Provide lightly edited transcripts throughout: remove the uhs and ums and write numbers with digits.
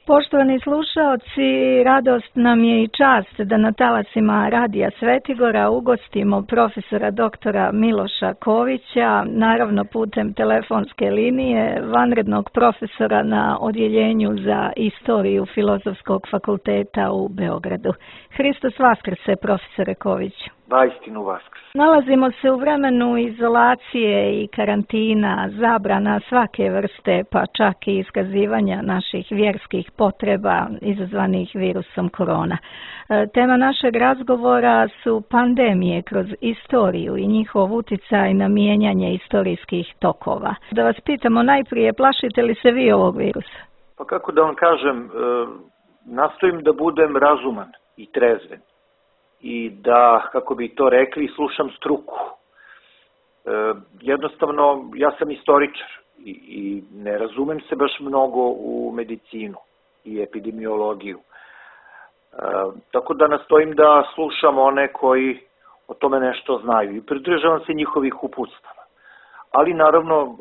Poštovani slušaoci, radost nam je i čast da na talasima Radija Svetigora ugostimo profesora doktora Miloša Kovića, naravno putem telefonske linije, vanrednog profesora na Odjeljenju za istoriju Filozofskog fakulteta u Beogradu. Hristos Vaskrse, profesore Koviću. Vaistinu Vaskrs. Nalazimo se u vremenu izolacije i karantina, zabrana svake vrste, pa čak i iskazivanja naših vjerskih potreba izazvanih virusom korona. Tema našeg razgovora su pandemije kroz istoriju i njihov uticaj na mijenjanje istorijskih tokova. Da vas pitamo najprije, plašite li se vi ovog virusa? Pa kako da vam kažem, nastojim da budem razuman i trezven. I da, kako bi to rekli, slušam struku. Jednostavno, ja sam istoričar i ne razumem se baš mnogo u medicinu i epidemiologiju. Tako da nastojim da slušam one koji o tome nešto znaju i pridržavam se njihovih uputstava. Ali naravno,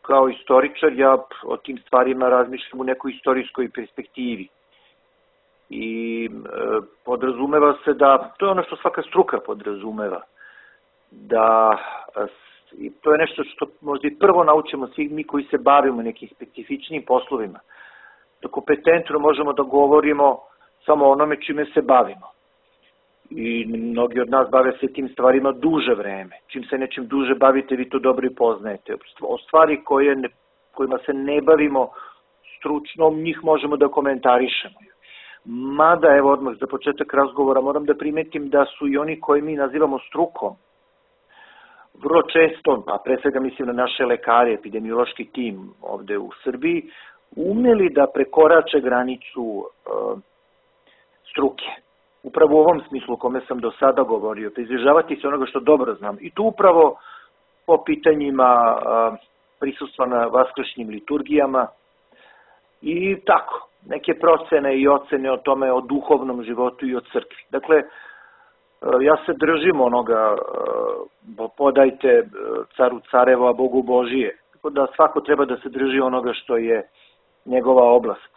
kao istoričar, ja o tim stvarima razmišljam u nekoj istorijskoj perspektivi. I podrazumeva se da, to je ono što svaka struka podrazumeva, da to je nešto što možda i prvo naučimo svi mi koji se bavimo nekim specifičnim poslovima, da kompetentno možemo da govorimo samo onome čime se bavimo. I mnogi od nas bave se tim stvarima duže vreme. Čim se nečim duže bavite, vi to dobro i poznajete. O stvari kojima se ne bavimo stručno, njih možemo da komentarišemo. Mada, evo odmah za početak razgovora, moram da primetim da su i oni koji mi nazivamo strukom, vrlo često, a pre svega mislim na naše lekare, epidemiološki tim ovde u Srbiji, umeli da prekorače granicu struke. Upravo u ovom smislu o kome sam do sada govorio, pridržavati se onoga što dobro znam. I tu upravo po pitanjima prisustva na vaskršnjim liturgijama i tako. Neke procene i ocene o tome, o duhovnom životu i o crkvi. Dakle, ja se držim onoga, podajte caru carevo, a Bogu Božije. Tako da svako treba da se drži onoga što je njegova oblast.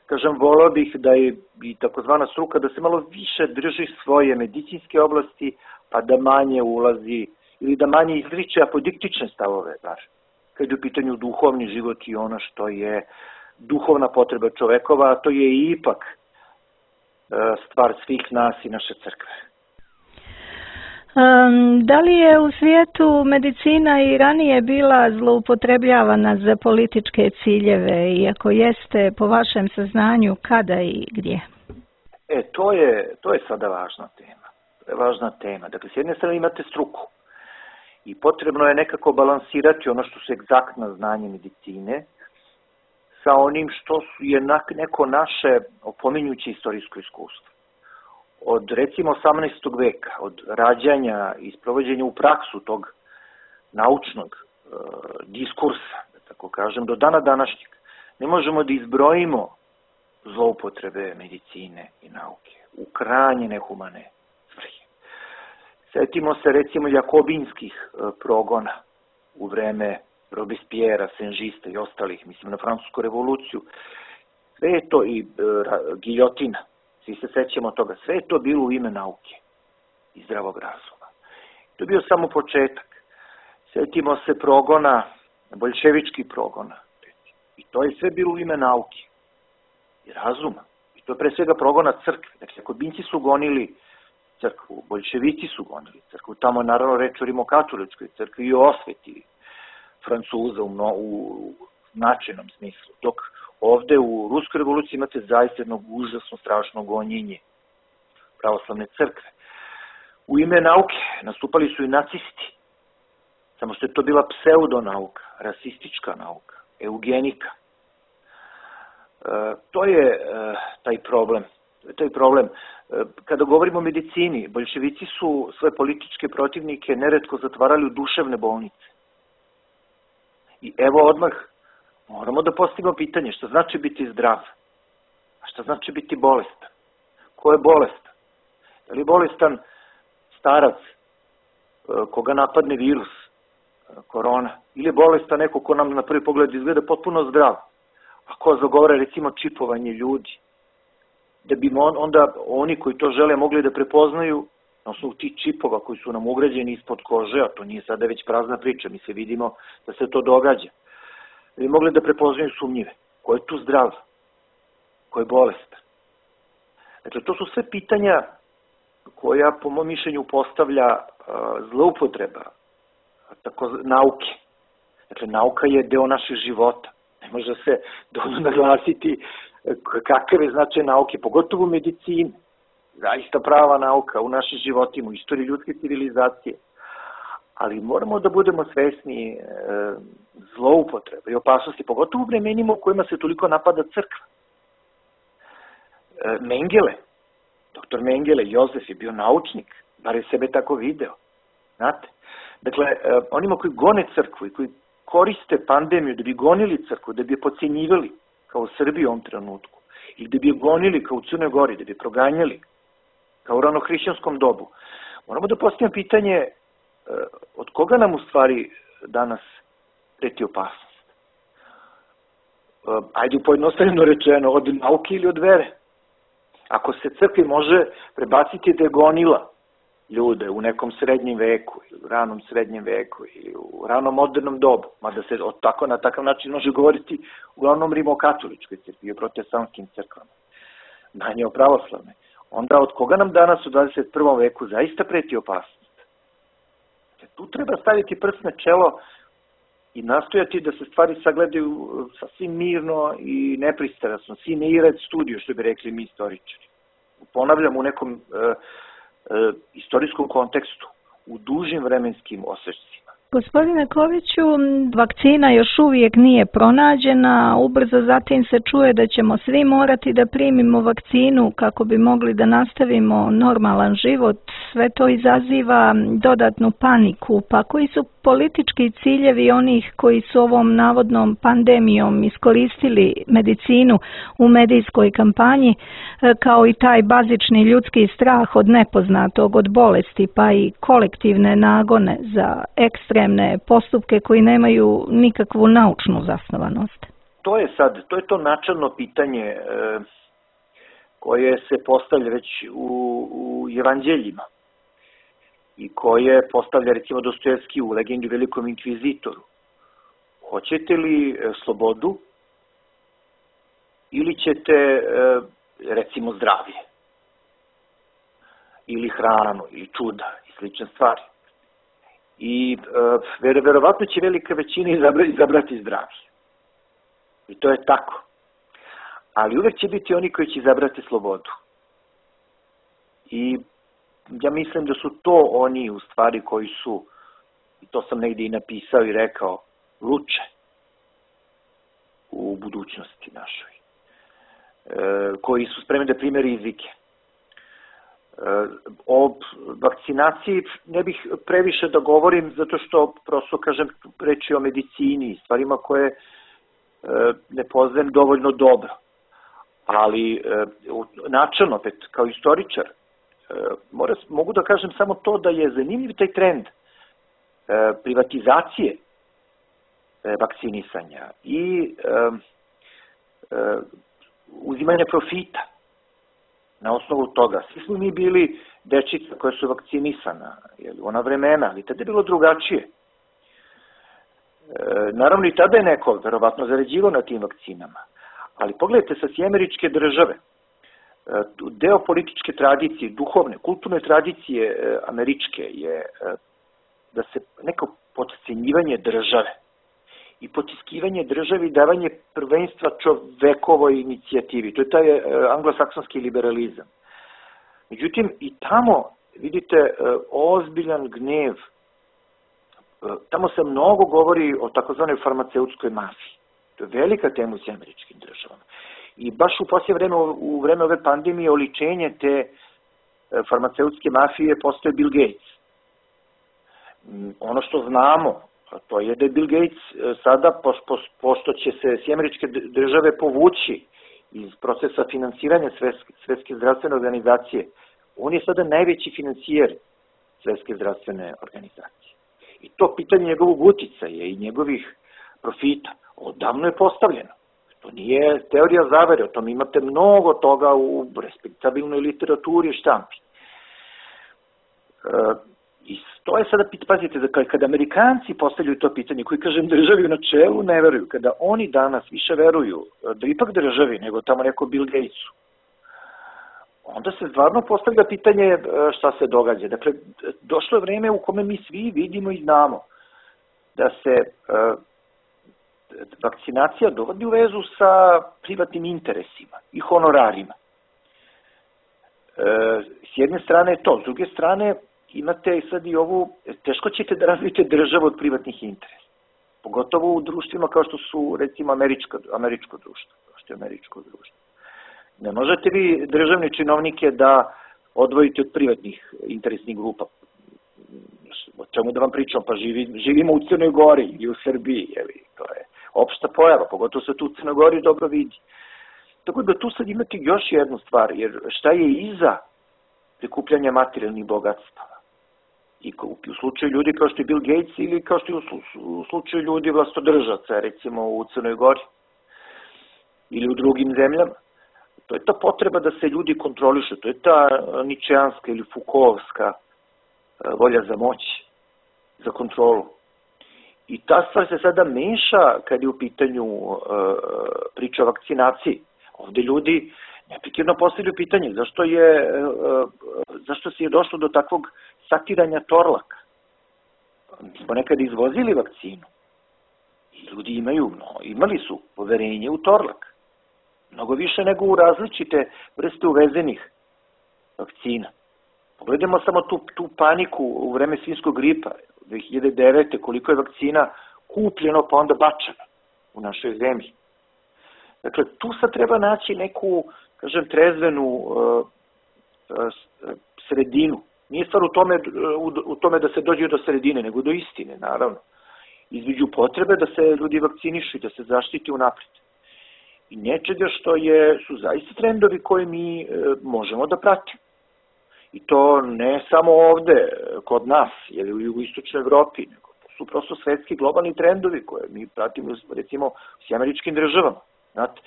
Kažem, volao bih da je i takozvana struka da se malo više drži svoje medicinske oblasti, pa da manje ulazi ili da manje izriče apodiktične stavove, bar, kad je u pitanju duhovni život i ono što je duhovna potreba čovekova, a to je ipak stvar svih nas i naše crkve. Da li je u svijetu medicina i ranije bila zloupotrebljavana za političke ciljeve i ako jeste, po vašem saznanju, kada i gdje? To je sada važna tema. To je važna tema. Dakle, s jedne strane imate struku i potrebno je nekako balansirati ono što su egzaktna znanje medicine sa onim što je neko naše opominjuće istorijsko iskustvo. Od recimo 18. veka, od rađanja i sprovođenja u praksu tog naučnog diskursa, da tako kažem, do dana današnjeg, ne možemo da izbrojimo zloupotrebe medicine i nauke u krajnje nehumane svrhe. Setimo se recimo jakobinskih progona u vreme Robespierre, Senžista i ostalih, mislim na Francusku revoluciju, sve je to i giljotina, svi se sećamo toga, sve je to bilo u ime nauke i zdravog razuma. To je bio samo početak. Setimo se progona, boljševičkih progona, i to je sve bilo u ime nauke i razuma. I to je pre svega progona crkve. Dakle, jakobinci su gonili crkvu, boljševici su gonili crkvu, tamo je naravno reč o rimokatoličkoj crkvi i o osveti Francuza u značajnom smislu. Dok ovde u Ruskoj revoluciji imate zaista jedno užasno strašno gonjenje pravoslavne crkve. U ime nauke nastupali su i nacisti, samo što je to bila pseudonauka, rasistička nauka, eugenika. To je taj problem. Kada govorimo o medicini, boljševici su svoje političke protivnike neretko zatvarali u duševne bolnice. I evo odmah moramo da postavimo pitanje šta znači biti zdrav, a šta znači biti bolestan. Ko je bolestan? Je li bolestan starac koga napadne virus, korona, ili je bolestan neko ko nam na prvi pogled izgleda potpuno zdrav, Ako zagovara recimo čipovanje ljudi, da bi onda oni koji to žele mogli da prepoznaju na osnovu tih čipova koji su nam ugrađeni ispod kože, a to nije sada već prazna priča, mi se vidimo da se to događa, da bi mogli da prepoznaju sumnjive, ko je tu zdrav, ko je bolestan. Dakle, to su sve pitanja koja po mom mišljenju postavlja zloupotreba nauke. Dakle, nauka je deo naših života. Ne može se dovoljno naglasiti kakav je značaj nauke, pogotovo u medicini. Zaista prava nauka u našim životima, u istoriji ljudske civilizacije. Ali moramo da budemo svesni zloupotreba i opasnosti, pogotovo u vremenima u kojima se toliko napada crkva. Mengele, doktor Mengele, Jozef je bio naučnik, bar je sebe tako video. Znate? Dakle, onima koji gone crkvu i koji koriste pandemiju da bi gonili crkvu, da bi je podcenjivali, kao u Srbiji u ovom trenutku, ili da bi je gonili kao u Crnoj Gori, da bi je proganjali, kao u ranohrišćanskom dobu. Moramo da postavimo pitanje od koga nam u stvari danas preti opasnost. Ajde pojednostavljeno rečeno, od nauke ili od vere. Ako se crkvi može prebaciti da je gonila ljude u nekom srednjem veku, ili u ranom srednjem veku, ili u ranom modernom dobu, mada se na takav način može govoriti uglavnom rimokatoličkoj crkvi i protestantskim crkvama, manje o pravoslavne, onda od koga nam danas u 21. veku zaista preti opasnost? Tu treba staviti prst na čelo i nastojati da se stvari sagledaju sasvim mirno i nepristrasno, sine iret studio, što bi rekli mi istoričari. Ponavljam, u nekom istorijskom kontekstu, u dužim vremenskim osjećcima. Gospodine Koviću, vakcina još uvijek nije pronađena, ubrzo zatim se čuje da ćemo svi morati da primimo vakcinu kako bi mogli da nastavimo normalan život. Sve to izaziva dodatnu paniku, pa koji su politički ciljevi onih koji su ovom navodnom pandemijom iskoristili medicinu u medijskoj kampanji, kao i taj bazični ljudski strah od nepoznatog, od bolesti, pa i kolektivne nagone za ekstremne postupke koji nemaju nikakvu naučnu zasnovanost? To je to načelno pitanje koje se postavlja već u evanđeljima i koje postavlja recimo Dostojevski u Legendi o velikom inkvizitoru. Hoćete li slobodu ili ćete recimo zdravlje ili hranu ili čuda i slične stvari? I verovatno će velika većina izabrati zdravlje. I to je tako. Ali uvek će biti oni koji će izabrati slobodu. I ja mislim da su to oni u stvari koji su, i to sam negdje i napisao i rekao, luče u budućnosti našoj. Koji su spremni da prime rizike. O vakcinaciji ne bih previše da govorim, zato što prosto kažem reči o medicini, stvarima koje ne poznajem dovoljno dobro. Ali načelno, opet, kao istoričar, mogu da kažem samo to da je zanimljiv taj trend privatizacije vakcinisanja i uzimanja profita na osnovu toga. Svi smo mi bili dečica koja su vakcinisana, ona vremena, ali tada je bilo drugačije. Naravno i tada je neko verovatno zarađivao na tim vakcinama, ali pogledajte sa Američke države, deo političke tradicije, duhovne, kulturne tradicije američke je da se neko potcenjivanje države i potiskivanje države i davanje prvenstva čovekovoj inicijativi. To je taj anglosaksonski liberalizam. Međutim, i tamo vidite ozbiljan gnev. Tamo se mnogo govori o takozvanoj farmaceutskoj mafiji. To je velika tema u Američkim državama. I baš u poslije vreme, u vreme ove pandemije, oličenje te farmaceutske mafije postoje Bill Gates. Ono što znamo, to je da je Bill Gates sada, pošto će se Američke države povući iz procesa finansiranja Svetske zdravstvene organizacije, on je sada najveći financijer Svetske zdravstvene organizacije. I to pitanje njegovog uticaja i njegovih profita odavno je postavljeno. To nije teorija zavere, o tom imate mnogo toga u respektabilnoj literaturi i štampi. I to je sada, pazite, kada Amerikanci postavljaju to pitanje, koji, kažem, državi u načelu ne veruju, kada oni danas više veruju da ipak državi nego tamo neko Bill Gatesu, onda se stvarno postavlja pitanje šta se događa. Dakle, došlo je vreme u kome mi svi vidimo i znamo da se vakcinacija dovodi u vezu sa privatnim interesima i honorarima. S jedne strane je to, s druge strane imate sad i ovu, teško ćete da razvijete državu od privatnih interesa. Pogotovo u društvima kao što su, recimo, američko društvo, kao što je američko društvo. Ne možete vi državne činovnike da odvojite od privatnih interesnih grupa. O čemu da vam pričam? Pa živimo u Crnoj Gori i u Srbiji, to je opšta pojava, pogotovo se tu u Crnoj Gori dobro vidi. Tako da tu sad imate još jednu stvar, jer šta je iza prikupljanja materijalnih bogatstava? I u slučaju ljudi kao što je Bill Gates ili kao što je u slučaju ljudi vlastodržaca, recimo u Crnoj Gori ili u drugim zemljama, to je ta potreba da se ljudi kontrolišu, to je ta ničeanska ili Foucaultska volja za moć, za kontrolu. I ta stvar se sada meša kad je u pitanju priča o vakcinaciji. Ovde ljudi neprekidno postavljaju pitanje zašto se je došlo do takvog satiranja Torlaka. Mi smo nekada izvozili vakcinu i ljudi imali su poverenje u Torlak. Mnogo više nego u različite vrste uvezenih vakcina. Pogledajmo samo tu paniku u vreme svinjskog gripa 2009. koliko je vakcina kupljeno pa onda bačeno u našoj zemlji. Dakle, tu sad treba naći neku, kažem, trezvenu sredinu. Nije stvar u tome da se dođe do sredine, nego do istine, naravno. Između potrebe da se ljudi vakcinišu i da se zaštiti unapred. I nečega što su zaista trendovi koje mi možemo da pratimo. I to ne samo ovde, kod nas, ili u jugoistočnoj Evropi, nego to su prosto svetski globalni trendovi koje mi pratimo, recimo, s američkim državama. Znate,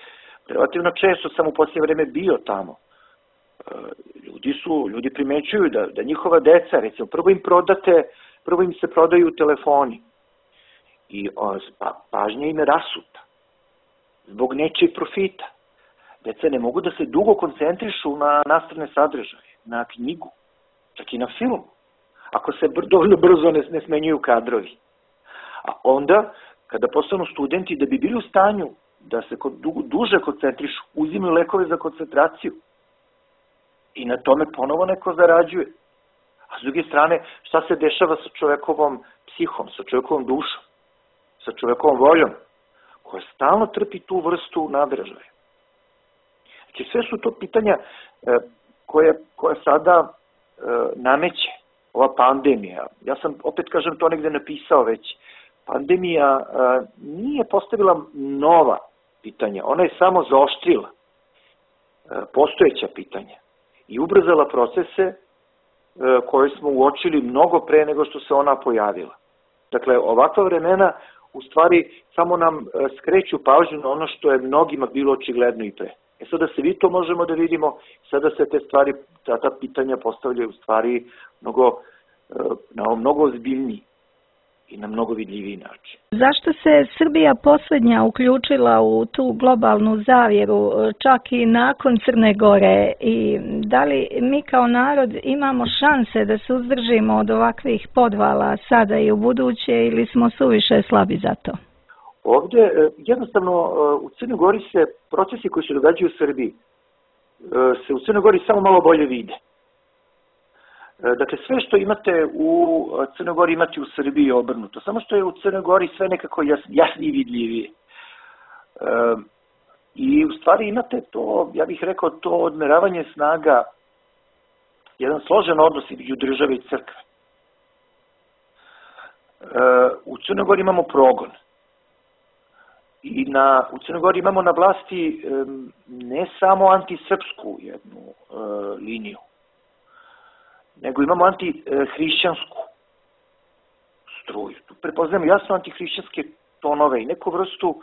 relativno često sam u posljednje vreme bio tamo. Ljudi primećuju da njihova deca, recimo, prvo im se prodaju telefoni i pažnja im je rasuta zbog nečijeg profita. Deca ne mogu da se dugo koncentrišu na nastavne sadržaje, na knjigu, čak i na film, ako se dovoljno brzo ne smenjuju kadrovi. A onda, kada postanu studenti, da bi bili u stanju da se duže koncentrišu, uzimaju lekove za koncentraciju i na tome ponovo neko zarađuje. A s druge strane, šta se dešava sa čovekovom psihom, sa čovekovom dušom, sa čovekovom voljom, koja stalno trpi tu vrstu nadražaja. Znači, sve su to pitanja koja sada nameće ova pandemija. Ja sam, opet kažem, to negde napisao već. Pandemija nije postavila nova pitanja, ona je samo zaoštrila postojeća pitanja i ubrzala procese koje smo uočili mnogo pre nego što se ona pojavila. Dakle, ovakva vremena u stvari samo nam skreću pažnju na ono što je mnogima bilo očigledno i pre. Sada se vi to možemo da vidimo, sada se te stvari, ta pitanja postavljaju u stvari mnogo ozbiljniji i na mnogo vidljiviji način. Zašto se Srbija posljednja uključila u tu globalnu zavjeru, čak i nakon Crne Gore, i da li mi kao narod imamo šanse da se uzdržimo od ovakvih podvala sada i u buduće ili smo suviše slabi za to? Ovdje, jednostavno, u Crnoj Gori se procesi koji se događaju u Srbiji, se u Crnoj Gori samo malo bolje vide. Dakle, sve što imate u Crnoj Gori imate u Srbiji obrnuto, samo što je u Crnoj Gori sve nekako jasnije i vidljivije. I u stvari imate to, ja bih rekao, to odmeravanje snaga, jedan složen odnos između države i crkve. U Crnoj Gori imamo progon. I u Crnoj Gori imamo na vlasti ne samo antisrpsku jednu liniju, nego imamo antihrišćansku struju. Tu prepoznajemo jasno antihrišćanske tonove i neku vrstu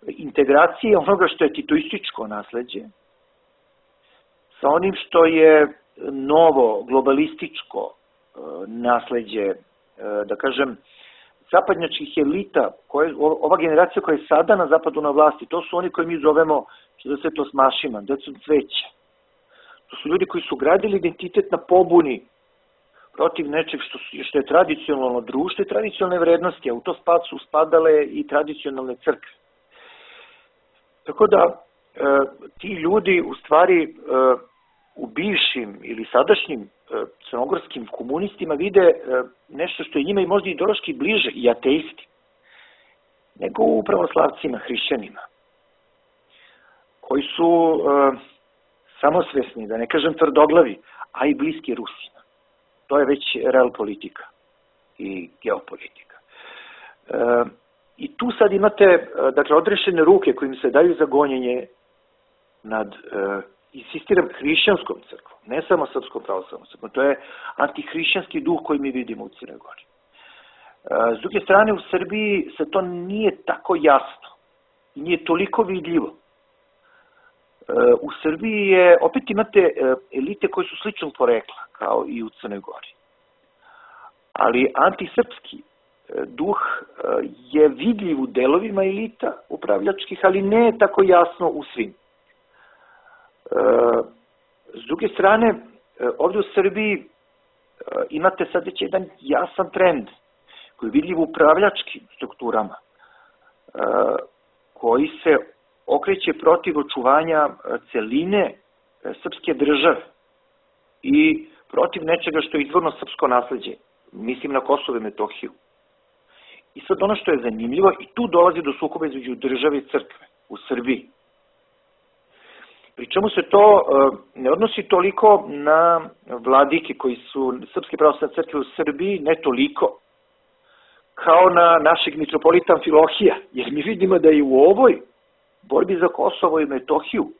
integracije onoga što je titoističko nasleđe sa onim što je novo globalističko nasleđe, da kažem, zapadnjačkih elita, ova generacija koja je sada na zapadu na vlasti, to su oni koji mi zovemo, što da se to smašima, decom cveća. To su ljudi koji su gradili identitet na pobuni protiv nečeg što je tradicionalno društvo i tradicionalne vrednosti, a u to su spadale i tradicionalne crkve. Tako da ti ljudi u stvari u bivšim ili sadašnjim crnogorskim komunistima vide nešto što je njima i možda ideološki bliže, i ateisti, nego u pravoslavcima, hrišćanima, koji su samosvesni, da ne kažem tvrdoglavi, a i bliski Rusima. To je već real politika i geopolitika. I tu sad imate, dakle, odrešene ruke kojim se daju za gonjenje nad, insistiram, hrišćanskom crkvom, ne samo srpskom pravoslavnom crkvom. To je antihrišćanski duh koji mi vidimo u Crnoj Gori. S druge strane, u Srbiji se to nije tako jasno i nije toliko vidljivo. U Srbiji opet imate elite koje su sličnog porekla, kao i u Crnoj Gori. Ali antisrpski duh je vidljiv u delovima elita upravljačkih, ali ne tako jasno u svim. S druge strane, ovdje u Srbiji imate sad već jedan jasan trend koji je vidljiv u upravljačkim strukturama, koji se okreće protiv očuvanja celine srpske države i protiv nečega što je izvorno srpsko nasleđe. Mislim na Kosovo i Metohiju. I sad ono što je zanimljivo, i tu dolazi do sukoba između države i crkve u Srbiji. Pri čemu se to ne odnosi toliko na vladike koji su Srpske pravoslavne crkve u Srbiji, ne toliko, kao na našeg mitropolita Amfilohija, jer mi vidimo da i u ovoj borbi za Kosovo i Metohiju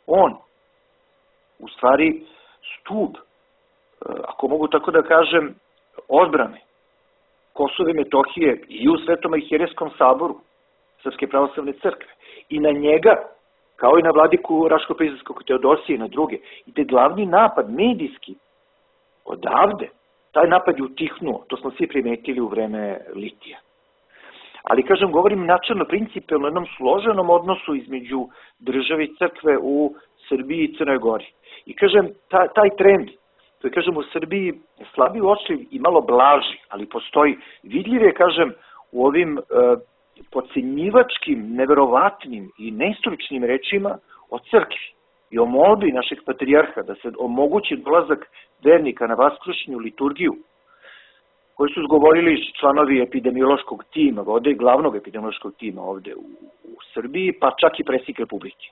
on, u stvari, stub, ako mogu tako da kažem, odbrane Kosova i Metohije i u Svetom arhijerejskom saboru Srpske pravoslavne crkve. I na njega, kao i na vladiku Raško-Prizrenskog Teodosije i na druge, ide glavni napad, medijski, odavde. Taj napad je utihnuo, to smo svi primetili u vreme Litija. Ali, kažem, govorim načelno, principijalno, jednom složenom odnosu između države i crkve u Srbiji i Crnoj Gori. I, kažem, taj trend, to je, kažem, u Srbiji slabiji uočljiv i malo blaži, ali postoji. Vidljiv je, kažem, u ovim podcenjivačkim, neverovatnim i neistoričnim rečima o crkvi i o molbi našeg patrijarha da se omogući dolazak vernika na vaskrsšnju liturgiju, koji su izgovorili članovi epidemiološkog tima, ovde glavnog epidemiološkog tima ovde u Srbiji, pa čak i predsjednik Republike.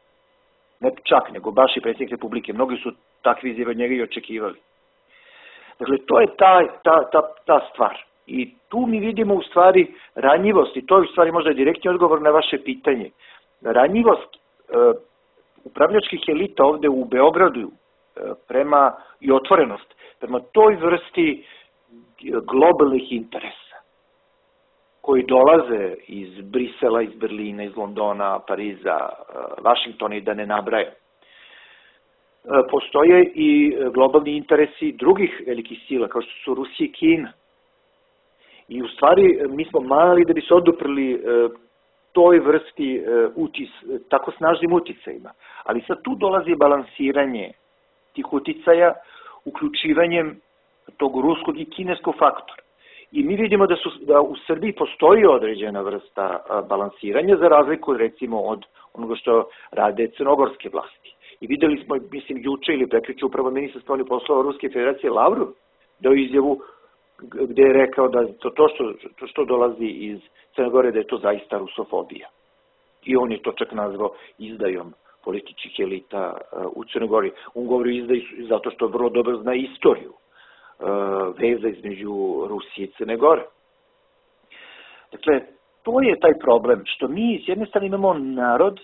Ne čak, nego baš i predsjednik Republike. Mnogi su takvi izjave od njega i očekivali. Dakle, to je ta stvar. I tu mi vidimo u stvari ranjivost, i to je u stvari možda direktni odgovor na vaše pitanje. Ranjivost upravljačkih elita ovde u Beogradu i otvorenost prema toj vrsti globalnih interesa koji dolaze iz Brisela, iz Berlina, iz Londona, Pariza, Vašingtona i da ne nabrajam. Postoje i globalni interesi drugih velikih sila, kao što su Rusija i Kina. I u stvari mi smo mali da bi se oduprli toj vrsti tako snažnim uticajima. Ali sad tu dolazi balansiranje tih uticaja uključivanjem tog ruskog i kineskog faktora. I mi vidimo da u Srbiji postoji određena vrsta balansiranja za razliku, recimo, od onoga što rade crnogorske vlasti. I videli smo, mislim, juče ili prekriče upravo ministar spoljnih poslova Ruske federacije Lavrov dao izjavu gde je rekao da to što dolazi iz Crne Gore, da je to zaista rusofobija. I on je to čak nazvao izdajom političkih elita u Crnoj Gori. On govori izdaju zato što vrlo dobro zna istoriju veza između Rusije i Crne Gore. Dakle, to je taj problem, što mi s jedne strane imamo narod,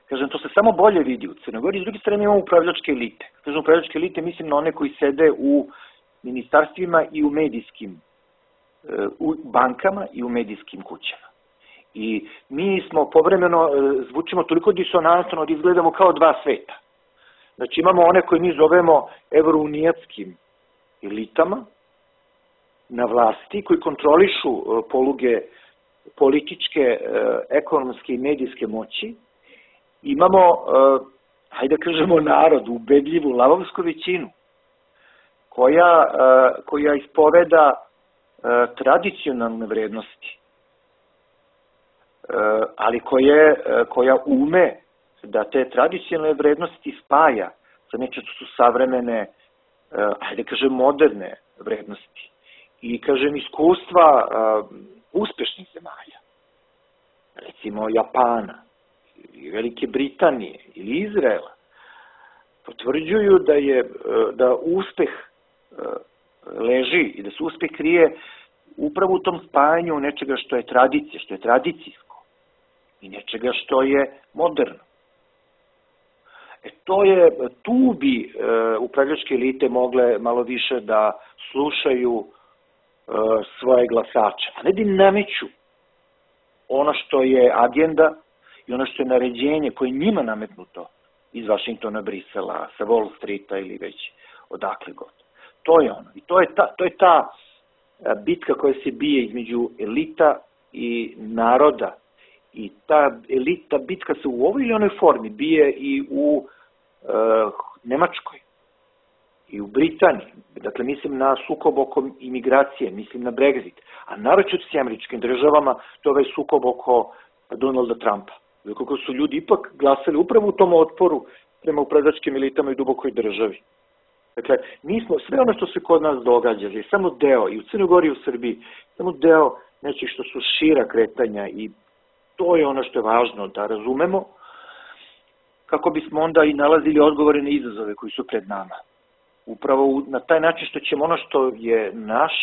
kažem, to se samo bolje vidi u Crnoj Gori, s druge strane imamo upravljačke elite. Kažem, upravljačke elite mislim na one koji sede u ministarstvima i u medijskim, u bankama i u medijskim kućama. I mi smo povremeno, zvučimo toliko disonantno da izgledamo kao dva sveta. Znači imamo one koje mi zovemo evrounijatskim elitama na vlasti, koji kontrolišu poluge političke, ekonomske i medijske moći. Imamo, hajde da kažemo, narod, ubedljivu lavovsku većinu, koja ispoveda tradicionalne vrednosti, ali koja ume da te tradicionalne vrednosti spaja sa nečem što su savremene, hajde kažem, moderne vrednosti. I, kažem, iskustva uspešnih zemalja, recimo Japana, ili Velike Britanije, ili Izraela, potvrđuju da uspeh leži i da se uspeh krije upravo u tom spajanju nečega što je tradicija, što je tradicijsko i nečega što je moderno. Tu bi upravljačke elite mogle malo više da slušaju svoje glasače, a ne da im nameću ono što je agenda i ono što je naređenje koje je njima nametnuto iz Vašingtona, Brisela, sa Wall Streeta ili već odakle god. To je ono. I to je ta bitka koja se bije između elita i naroda. I ta bitka se u ovoj ili onoj formi bije i u Nemačkoj i u Britaniji. Dakle, mislim na sukob oko imigracije, mislim na Brexit. A naročito s Američkim državama, to je ovaj sukob oko Donalda Trumpa. Kako su ljudi ipak glasali upravo u tom otporu prema upravljačkim elitama i dubokoj državi. Dakle, sve ono što se kod nas događa je samo deo, i u Crnoj Gori i u Srbiji, samo deo nečih što su šira kretanja i to je ono što je važno da razumemo, kako bismo onda i nalazili odgovore na izazove koji su pred nama. Upravo na taj način što ćemo ono što je naš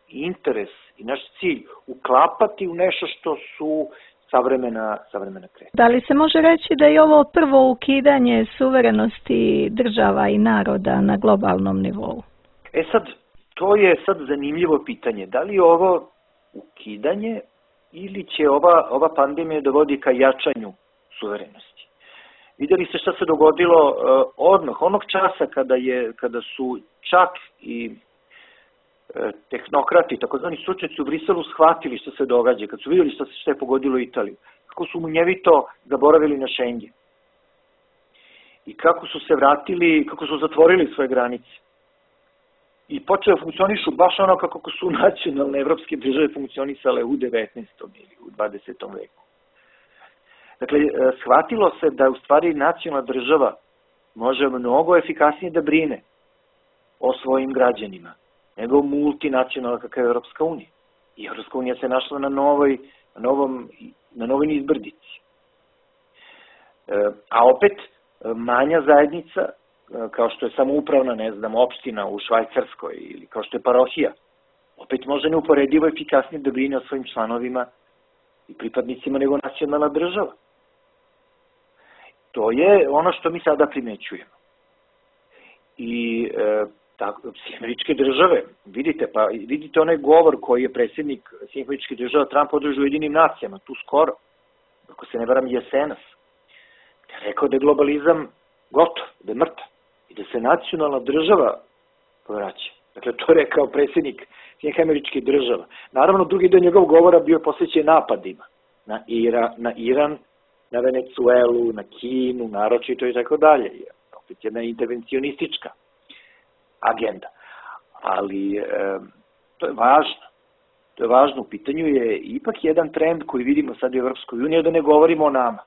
interes i naš cilj uklapati u nešto što su savremena kretanja. Da li se može reći da je ovo prvo ukidanje suverenosti država i naroda na globalnom nivou? To je sad zanimljivo pitanje. Da li je ovo ukidanje ili će ova pandemija dovodi ka jačanju suverenosti? Vidjeli ste šta se dogodilo odmah, onog časa kada su čak i tehnokrati, takozvani stručnjaci u Briselu shvatili što se događa, kad su vidjeli što je pogodilo Italiju, kako su munjevito zaboravili na Schengen i kako su se vratili, kako su zatvorili svoje granice i počeo funkcionišu baš ono kako su nacionalne evropske države funkcionisale u 19. ili u 20. veku. Dakle, shvatilo se da u stvari nacionalna država može mnogo efikasnije da brine o svojim građanima nego multinacionalna kakva je Evropska unija. I Evropska unija se našla na novoj izbrdici. A opet, manja zajednica, kao što je samoupravna, opština u Švajcarskoj ili kao što je parohija, opet može neuporedivo efikasnije da brine o svojim članovima i pripadnicima nego nacionalna država. To je ono što mi sada primećujemo. I Američke države, vidite onaj govor koji je predsjednik Američkih država Trump održao u Ujedinim nacijama, tu skoro, ako se ne varam jesenas, gde je rekao da je globalizam gotov, da je mrtav i da se nacionalna država povraća. Dakle, to je rekao predsjednik Američkih država. Naravno, drugi deo njegov govora bio posvećen napadima na Iran, na Venecuelu, na Kinu, naročito i tako dalje. Opet jedna intervencionistička agenda. Ali to je važno. To je važno. U pitanju je ipak jedan trend koji vidimo sad u Evropskoj uniji, da ne govorimo o nama.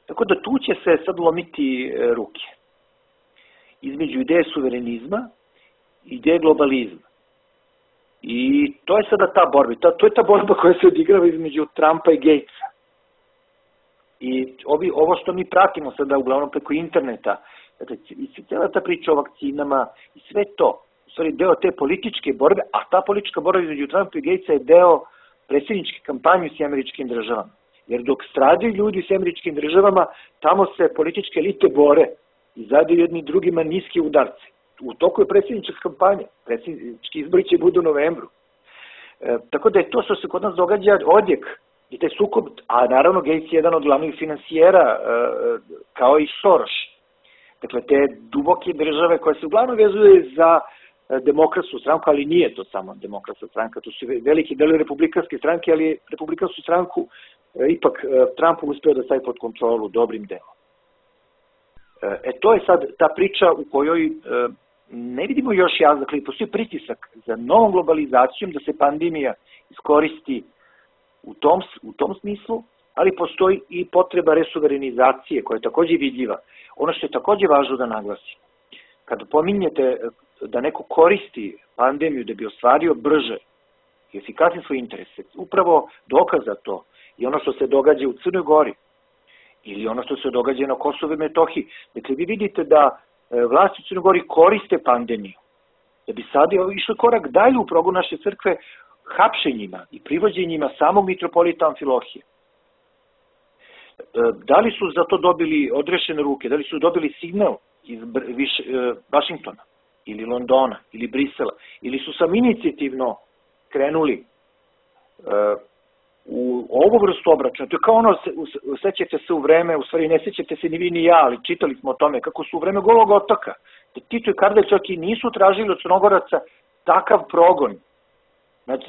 Tako da tu će se sad lomiti ruke. Između ideje suverenizma i ideje globalizma. I to je sada ta borba. To je ta borba koja se odigrava između Trumpa i Gatesa. I ovo što mi pratimo sada uglavnom preko interneta, i cijela ta priča o vakcinama i sve to, u stvari deo te političke borbe, a ta politička borba između Trumpa i Gatesa je deo predsjedničke kampanje u Američkim državama. Jer dok stradaju ljudi u Američkim državama, tamo se političke elite bore i zadaju jedni drugima niske udarce. U toku je predsjednička kampanja, predsjednički izbori će budu u novembru. Tako da je to što se kod nas događa odjek I taj sukob, a naravno Gates je jedan od glavnih finansijera, kao i Soros. Dakle, te duboke države koje se uglavnom vezuje za demokratsku stranku, ali nije to samo demokratska stranka, to su veliki delovi republikanske stranke, ali republikansku stranku ipak Trump uspeo da stavi pod kontrolu dobrim delom. To je sad ta priča u kojoj ne vidimo još jasno, dakle, postoji pritisak za novom globalizacijom da se pandemija iskoristi u tom smislu, ali postoji i potreba resuverenizacije koja je takođe vidljiva. Ono što je takođe važno da naglasim, kada pominjete da neko koristi pandemiju da bi ostvario brže i efikasnije svoje interese, upravo dokaz za to i ono što se događa u Crnoj Gori ili ono što se događa na Kosovu i Metohiji. Dakle, vi vidite da vlasti u Crnoj Gori koriste pandemiju, da bi sad išli korak dalje u progonu naše crkve hapšenjima i privođenjima samog mitropolita Amfilohije. Da li su za to dobili odrešene ruke, da li su dobili signal iz Vašingtona ili Londona ili Brisela, ili su sam inicijativno krenuli u ovu vrstu obračuna. To je kao ono, sećate se u vreme, u stvari ne sećate se ni vi ni ja, ali čitali smo o tome, kako su u vreme Golog otoka, da Tito i Kardelj čak i nisu tražili od Crnogoraca takav progon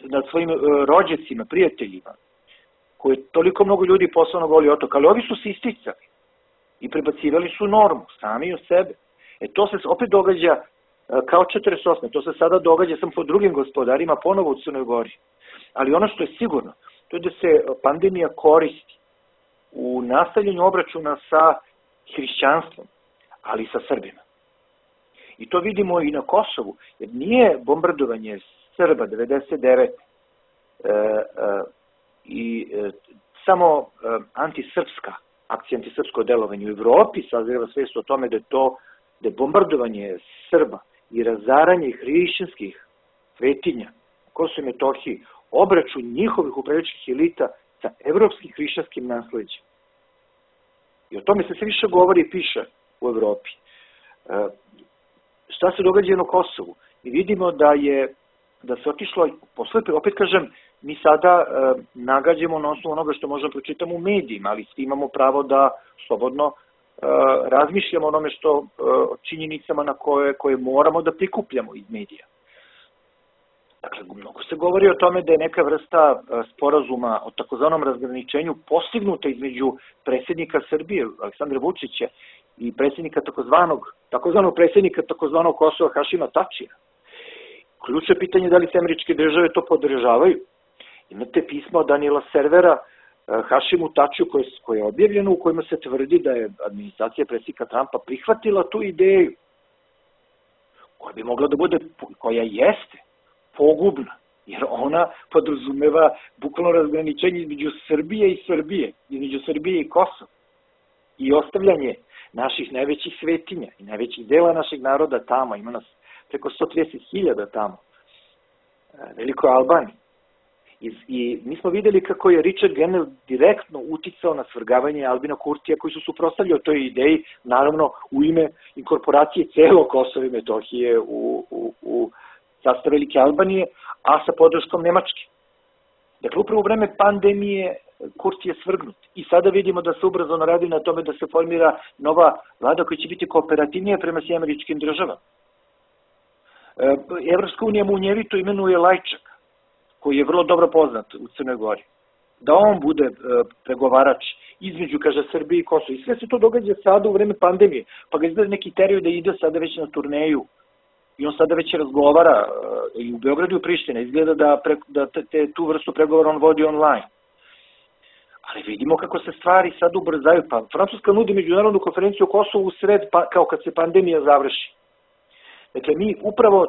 nad svojim rođacima, prijateljima, koje je toliko mnogo ljudi poslao na Goli otok, ali ovi su se isticali i prebacivali su normu, sami u sebe. To se opet događa kao 48. To se sada događa samo po drugim gospodarima, ponovo u Crnoj Gori. Ali ono što je sigurno, to je da se pandemija koristi u nastavljanju obračuna sa hrišćanstvom, ali i sa Srbima. I to vidimo i na Kosovu, jer nije bombardovanje Srba 99 i samo antisrpska akcija, antisrpsko delovanje u Evropi sazreva svest o tome da je bombardovanje Srba i razaranje hrišćanskih svetinja na Kosovu i Metohiji obračun njihovih upravljačkih elita sa evropskim hrišćanskim nasleđem. I o tome se sve više govori i piše u Evropi. Šta se događa na Kosovu? I vidimo da se otišlo, opet kažem, mi sada nagađamo na osnovu onoga što možemo pročitamo u medijima, ali svi imamo pravo da slobodno razmišljamo onome što činjenicama na koje moramo da prikupljamo iz medija. Dakle, mnogo se govori o tome da je neka vrsta sporazuma o takozvanom razgraničenju postignuta između predsjednika Srbije, Aleksandra Vučića, i predsjednika takozvanog Kosova, Hašima Tačija. Ključno je pitanje da li se američke države to podržavaju. Imate pismo od Daniela Servera Hašimu Tačiju koje je objavljeno, u kojima se tvrdi da je administracija predsjednika Trumpa prihvatila tu ideju koja bi mogla da bude, koja jeste pogubna, jer ona podrazumeva bukvalno razgraničenje između Srbije i Kosova i ostavljanje naših najvećih svetinja i najvećih dela našeg naroda tamo. Ima nas preko 130.000 tamo, Velikoj Albaniji. I mi smo videli kako je Richard Grenell direktno uticao na svrgavanje Albina Kurtija, koji su suprotstavljali toj ideji, naravno u ime inkorporacije celo Kosova i Metohije u sastav Velike Albanije, a sa podrškom Nemačke. Dakle, upravo u vreme pandemije Kurti je svrgnut. I sada vidimo da se ubrzano radi na tome da se formira nova vlada koja će biti kooperativnija prema svim američkim državama. Evropska unija munjevito imenuje Lajčak, koji je vrlo dobro poznat u Crnoj Gori, da on bude pregovarač između, kaže, Srbije i Kosova. I sve se to događa sada u vreme pandemije, pa ga izgleda neki teriju da ide sada već na turneju i on sada već razgovara i u Beogradu i u Prištini. Izgleda da tu vrstu pregovora on vodi online. Ali vidimo kako se stvari sad ubrzaju. Pa Francuska nudi međunarodnu konferenciju o Kosovu u sred, kao kad se pandemija završi. Dakle,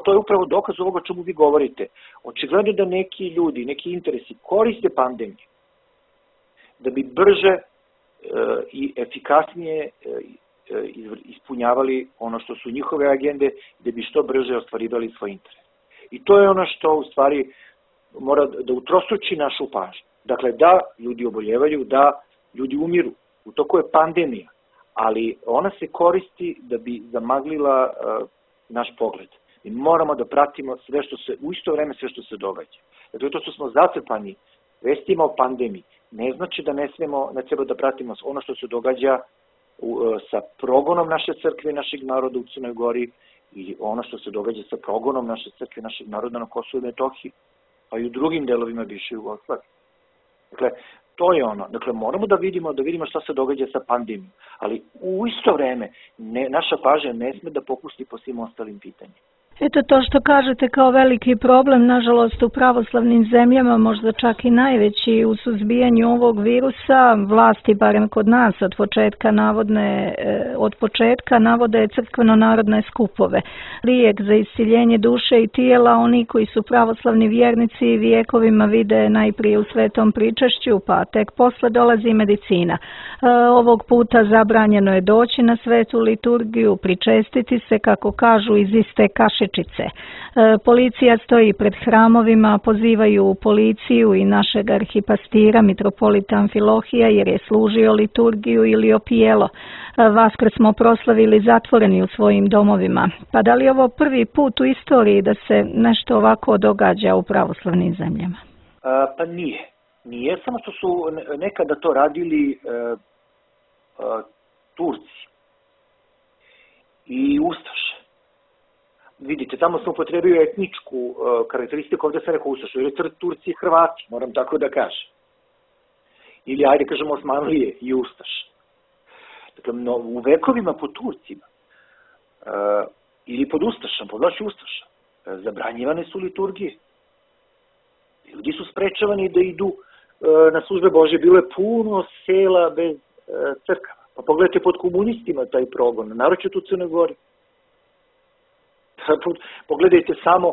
to je upravo dokaz ovoga o čemu vi govorite. Očigledno da neki ljudi, neki interesi koriste pandemiju da bi brže i efikasnije ispunjavali ono što su njihove agende, da bi što brže ostvarivali svoj interes. I to je ono što u stvari mora da utrostruči našu pažnju. Dakle, da ljudi oboljevaju, da ljudi umiru. U toku je pandemija, ali ona se koristi da bi zamaglila naš pogled. Mi moramo da pratimo u isto vreme sve što se događa. Dakle, to što smo zatrpani vestima o pandemiji, ne znači da ne treba da pratimo ono što se događa sa progonom naše crkve i našeg naroda u Crnoj Gori i ono što se događa sa progonom naše crkve i našeg naroda na Kosovu i Metohiji, pa i u drugim delovima bivše Jugoslavije. Dakle, to je ono. Dakle, moramo da vidimo šta se događa sa pandemijom, ali u isto vreme naša pažnja ne sme da popusti po svim ostalim pitanjima. Eto to što kažete kao veliki problem, nažalost u pravoslavnim zemljama, možda čak i najveći u suzbijanju ovog virusa, vlasti, barem kod nas, od početka navode crkveno-narodne skupove. Lijek za isciljenje duše i tijela, oni koji su pravoslavni vjernici vijekovima vide najprije u svetom pričašću, pa tek posle dolazi medicina. Ovog puta zabranjeno je doći na svetu liturgiju, pričestiti se, kako kažu, iz iste kašičice. Policija stoji pred hramovima, pozivaju policiju i našeg arhipastira, mitropolita Amfilohija, jer je služio liturgiju ili opijelo. Vaskrs smo proslavili zatvoreni u svojim domovima. Pa da li je ovo prvi put u istoriji da se nešto ovako događa u pravoslavnim zemljama? Pa nije. Nije, samo što su nekada to radili Turci i Ustaše. Vidite, tamo sam upotrebio etničku karakteristiku, ovdje sam rekao Ustašu, jer je Turci i Hrvati, moram tako da kažem. Ili, ajde kažemo, Osmanlije i Ustaš. Dakle, u vekovima pod Turcima ili pod Ustašom, pod vlašću Ustaša, zabranjivane su liturgije. Ljudi su sprečavani da idu na službe Božje, bilo je puno sela bez crkava. Pa pogledajte pod komunistima taj progon, naročito u Crnoj Gori. Pogledajte samo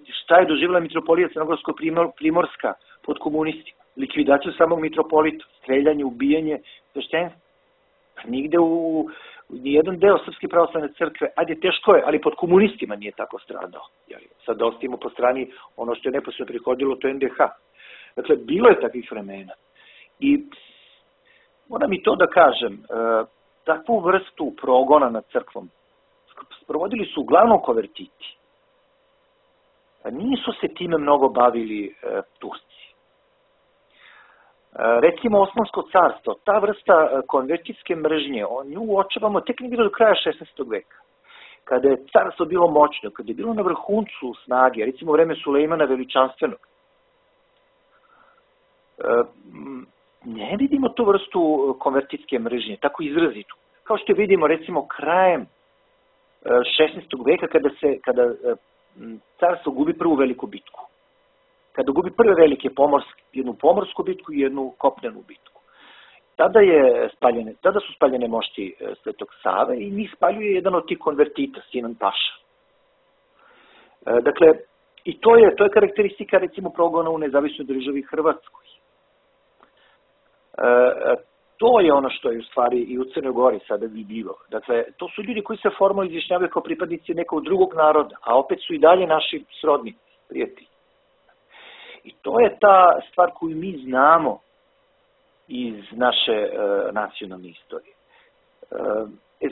šta je doživjela mitropolija Crnogorsko-Primorska pod komunistima. Likvidaciju samog mitropolita, streljanje, ubijanje sveštenstva. Nigde u nijedan deo Srpske pravoslavne crkve, ajde teško je, ali pod komunistima nije tako stradao. Sad da ostavimo po strani ono što je neposredno prihodilo, to je NDH. Dakle, bilo je takvih vremena. I moram i to da kažem, takvu vrstu progona nad crkvom sprovodili su uglavnom konvertiti. Nisu se time mnogo bavili Turci. Recimo Osmansko carstvo, ta vrsta konvertitske mržnje, nju uočavamo tek negdje do kraja 16. veka. Kada je carstvo bilo moćno, kada je bilo na vrhuncu snage, recimo u vreme Sulejmana Veličanstvenog, ne vidimo tu vrstu konvertitske mržnje, tako izrazitu. Kao što vidimo recimo krajem 16. veka kada carstvo gubi prvu veliku bitku. Kada gubi prve velike jednu pomorsku bitku i jednu kopnenu bitku. Tada su spaljene mošti Svetog Save i njih spaljuje jedan od tih konvertita, Sinan Paša. Dakle, i to je karakteristika recimo progona u nezavisnoj državi Hrvatskoj. To je ono što je u stvari i u Crnoj Gori sada vidljivo. Dakle, to su ljudi koji se formalno izjašnjavaju kao pripadnici nekog drugog naroda, a opet su i dalje naši srodni prijatelji. I to je ta stvar koju mi znamo iz naše nacionalne istorije.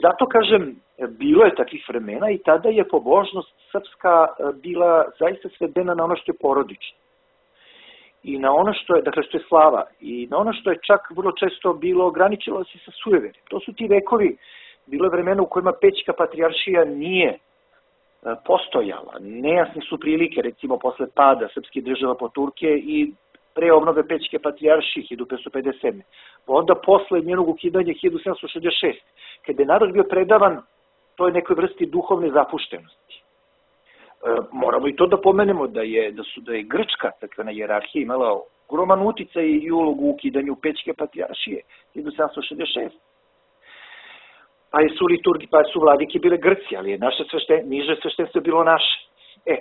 Zato kažem, bilo je takvih vremena i tada je pobožnost srpska bila zaista svedena na ono što je porodično. I na ono što je slava, i na ono što je čak vrlo često bilo ograničilo se sa sujeverjem. To su ti vekovi, bilo je vremena u kojima Pećka patrijaršija nije postojala. Nejasne su prilike, recimo posle pada srpskih država po Turke i pre obnove Pećke patrijaršije 1557. Pa onda posle njenog ukidanja 1766. Kada je narod bio predavan toj nekoj vrsti duhovne zapuštenosti. Moramo i to da pomenemo da je grčka crkvena hijerarhija imala ogroman uticaj i ulogu u ukidanju Pećke patrijaršije 1766. Pa su vladike bile Grci, ali je niže sveštenstvo bilo naše.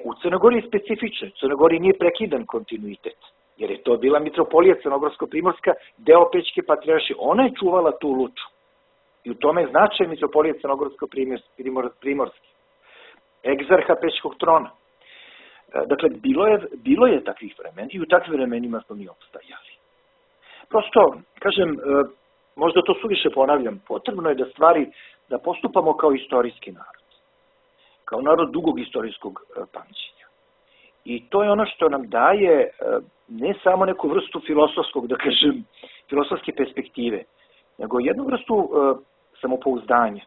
U Crnoj Gori je specifično. U Crnoj Gori nije prekidan kontinuitet, jer je to bila mitropolija Crnogorsko-Primorska, deo Pećke patrijaršije. Ona je čuvala tu luču. I u tome je značaj mitropolije Crnogorsko-Primorske. Egzarha Pećkog trona. Dakle, bilo je takvih vremena i u takvim vremenima smo mi opstajali. Prosto, kažem, možda to suviše ponavljam, potrebno je da postupamo kao istorijski narod. Kao narod dugog istorijskog pamćenja. I to je ono što nam daje ne samo neku vrstu filosofskog, da kažem, filosofske perspektive, nego jednu vrstu samopouzdanja.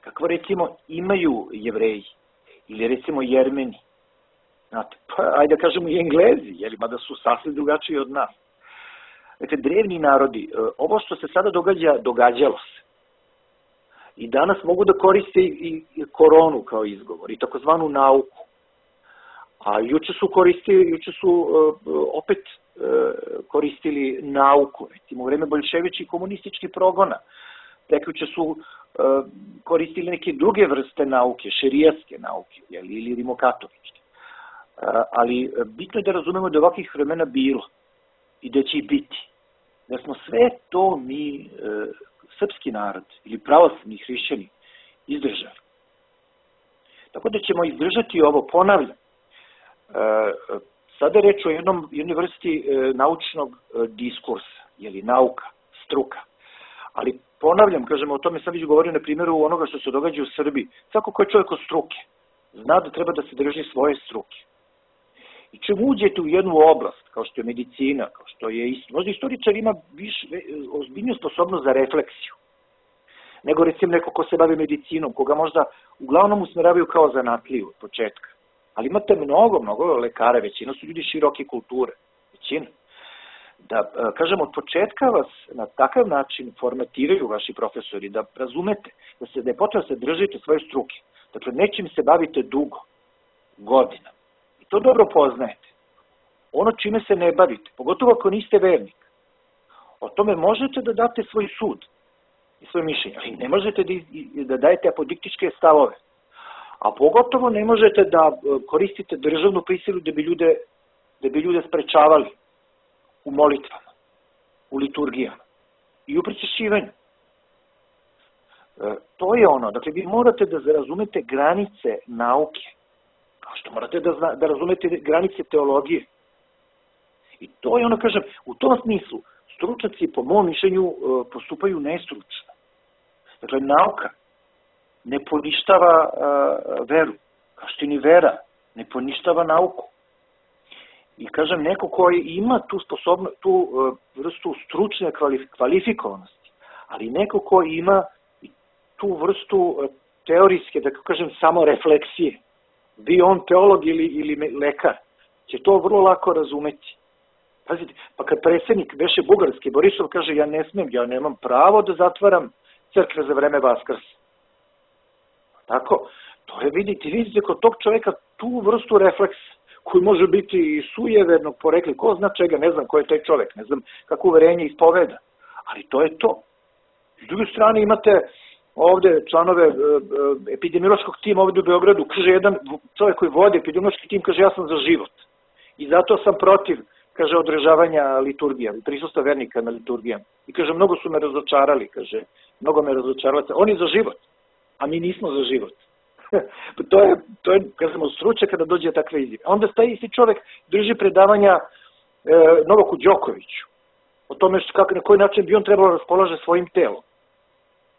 Kakvo recimo imaju Jevreji ili recimo Jermeni, znate, pa ajde da kažemo i Englezi, mada su sasvim drugačiji od nas. Dakle, drevni narodi, ovo što se sada događa, događalo se. I danas mogu da koriste i koronu kao izgovor i takozvanu nauku. A juče su opet koristili nauku, recimo u vreme boljševičkih komunističkih progona. Prekjuče su koristili neke druge vrste nauke, šerijatske nauke ili rimokatoličke. Ali bitno je da razumemo da ovakvih vremena bilo i da će i biti. Da smo sve to mi, srpski narod ili pravoslavni hrišćani, izdržali. Tako da ćemo izdržati ovo, ponavljam. Sada je reč o jednoj vrsti naučnog diskursa, nauka, struka. Ali ponavljam, kažemo, o tome sam već govorio na primjeru onoga što se događa u Srbiji. Svako ko je čovjek od struke, zna da treba da se drži svoje struke. I čim uđete u jednu oblast, kao što je medicina, kao što je možda istoričar ima ozbiljniju sposobnost za refleksiju, nego recimo neko ko se bavi medicinom, koga možda uglavnom usmeravaju kao zanatliju od početka. Ali imate mnogo lekara, većina su ljudi široke kulture, većina. Da, kažem, od početka vas na takav način formatiraju vaši profesori, da razumete, da je potrebno se držite svoje struke. Dakle, nečim se bavite dugo, godina. I to dobro poznajete. Ono čime se ne bavite, pogotovo ako niste vernik, o tome možete da date svoj sud i svoje mišljenje, ali ne možete da dajete apodiktičke stavove. A pogotovo ne možete da koristite državnu prisilu da bi ljude sprečavali u molitvama, u liturgijama i u pričešćivanju. To je ono, dakle, vi morate da razumete granice nauke, kao što morate da razumete granice teologije. I to je ono, kažem, u tom smislu, stručnjaci, po mom mišljenju, postupaju nestručno. Dakle, nauka ne poništava veru, kao što ni vera ne poništava nauku. I kažem, neko koji ima tu vrstu stručne kvalifikovanosti, ali neko koji ima tu vrstu teorijske, da kažem, samo refleksije, bio on teolog ili lekar, će to vrlo lako razumeti. Pazite, pa kad predsjednik beše bugarski, Borisov kaže, ja nemam pravo da zatvaram crkve za vreme Vaskrsa. Tako, to je, vidite kod tog čoveka tu vrstu refleksa, koji može biti i sujevernog porekla, ko zna čega, ne znam ko je taj čovek, ne znam kako uverenje ispoveda, ali to je to. S druge strane imate ovde članove epidemiološkog tima ovde u Beogradu, kaže jedan čovek koji vodi epidemiološki tim, kaže ja sam za život i zato sam protiv, kaže, održavanja liturgija, prisustva vernika na liturgijama. I kaže, mnogo su me razočarali, kaže, mnogo me razočarali, on je za život, a mi nismo za život. To je, kažemo, stručnjak kada dođe takve izjave. Onda taj isti čovek drži predavanja Novaku Đokoviću o tome na koji način bi on trebalo raspolaže svojim telom.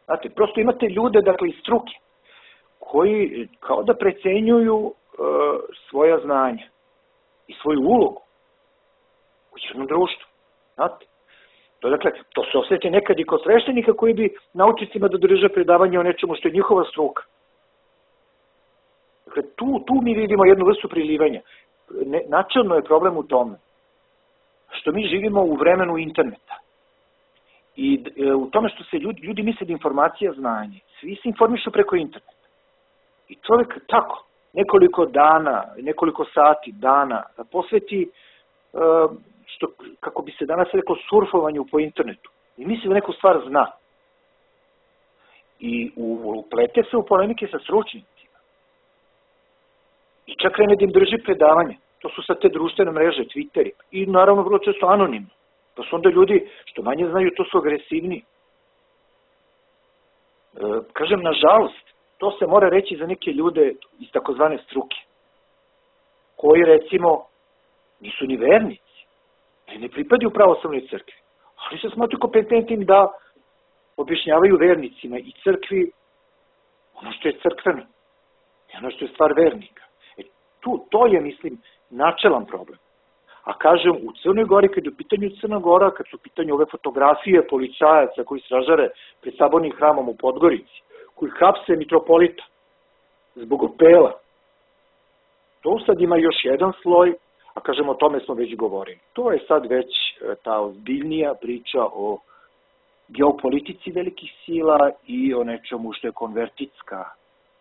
Znate, prosto imate ljude, dakle, iz struke, koji kao da precenjuju svoja znanja i svoju ulogu u jednom društvu. Znate, to se osjeti nekad i kod sveštenika koji bi naučnicima da drže predavanje o nečemu što je njihova struka. Dakle, tu mi vidimo jednu vrstu prilivanja. Načelno je problem u tome što mi živimo u vremenu interneta i u tome što se ljudi misle da informacija znanje. Svi se informišu preko interneta. I čovjek tako, nekoliko dana, nekoliko sati, dana, posveti, kako bi se danas rekao, surfovanju po internetu. I misli da neku stvar zna. I uplete se u polemike sa stručnjacima. I čak krene da im drži predavanje. To su sad te društvene mreže, Twitteri. I naravno vrlo često anonimno. Pa su onda ljudi, što manje znaju, to su agresivni. Kažem, nažalost, to se mora reći za neke ljude iz takozvane struke, koji, recimo, nisu ni vernici, ne pripadaju pravoslavnoj crkvi, ali se smatruju kompetentnim da objašnjavaju vernicima i crkvi ono što je crkveno, i ono što je stvar vernika. To je, mislim, načelan problem. A kažem, u Crnoj Gori, kad je u pitanju Crna Gora, kad su u pitanju ove fotografije policajaca koji stražare pred sabornim hramom u Podgorici, koji hapse mitropolita zbog opela, to sad ima još jedan sloj, a kažem, o tome smo već govorili. To je sad već ta ozbiljnija priča o geopolitici velikih sila i o nečemu što je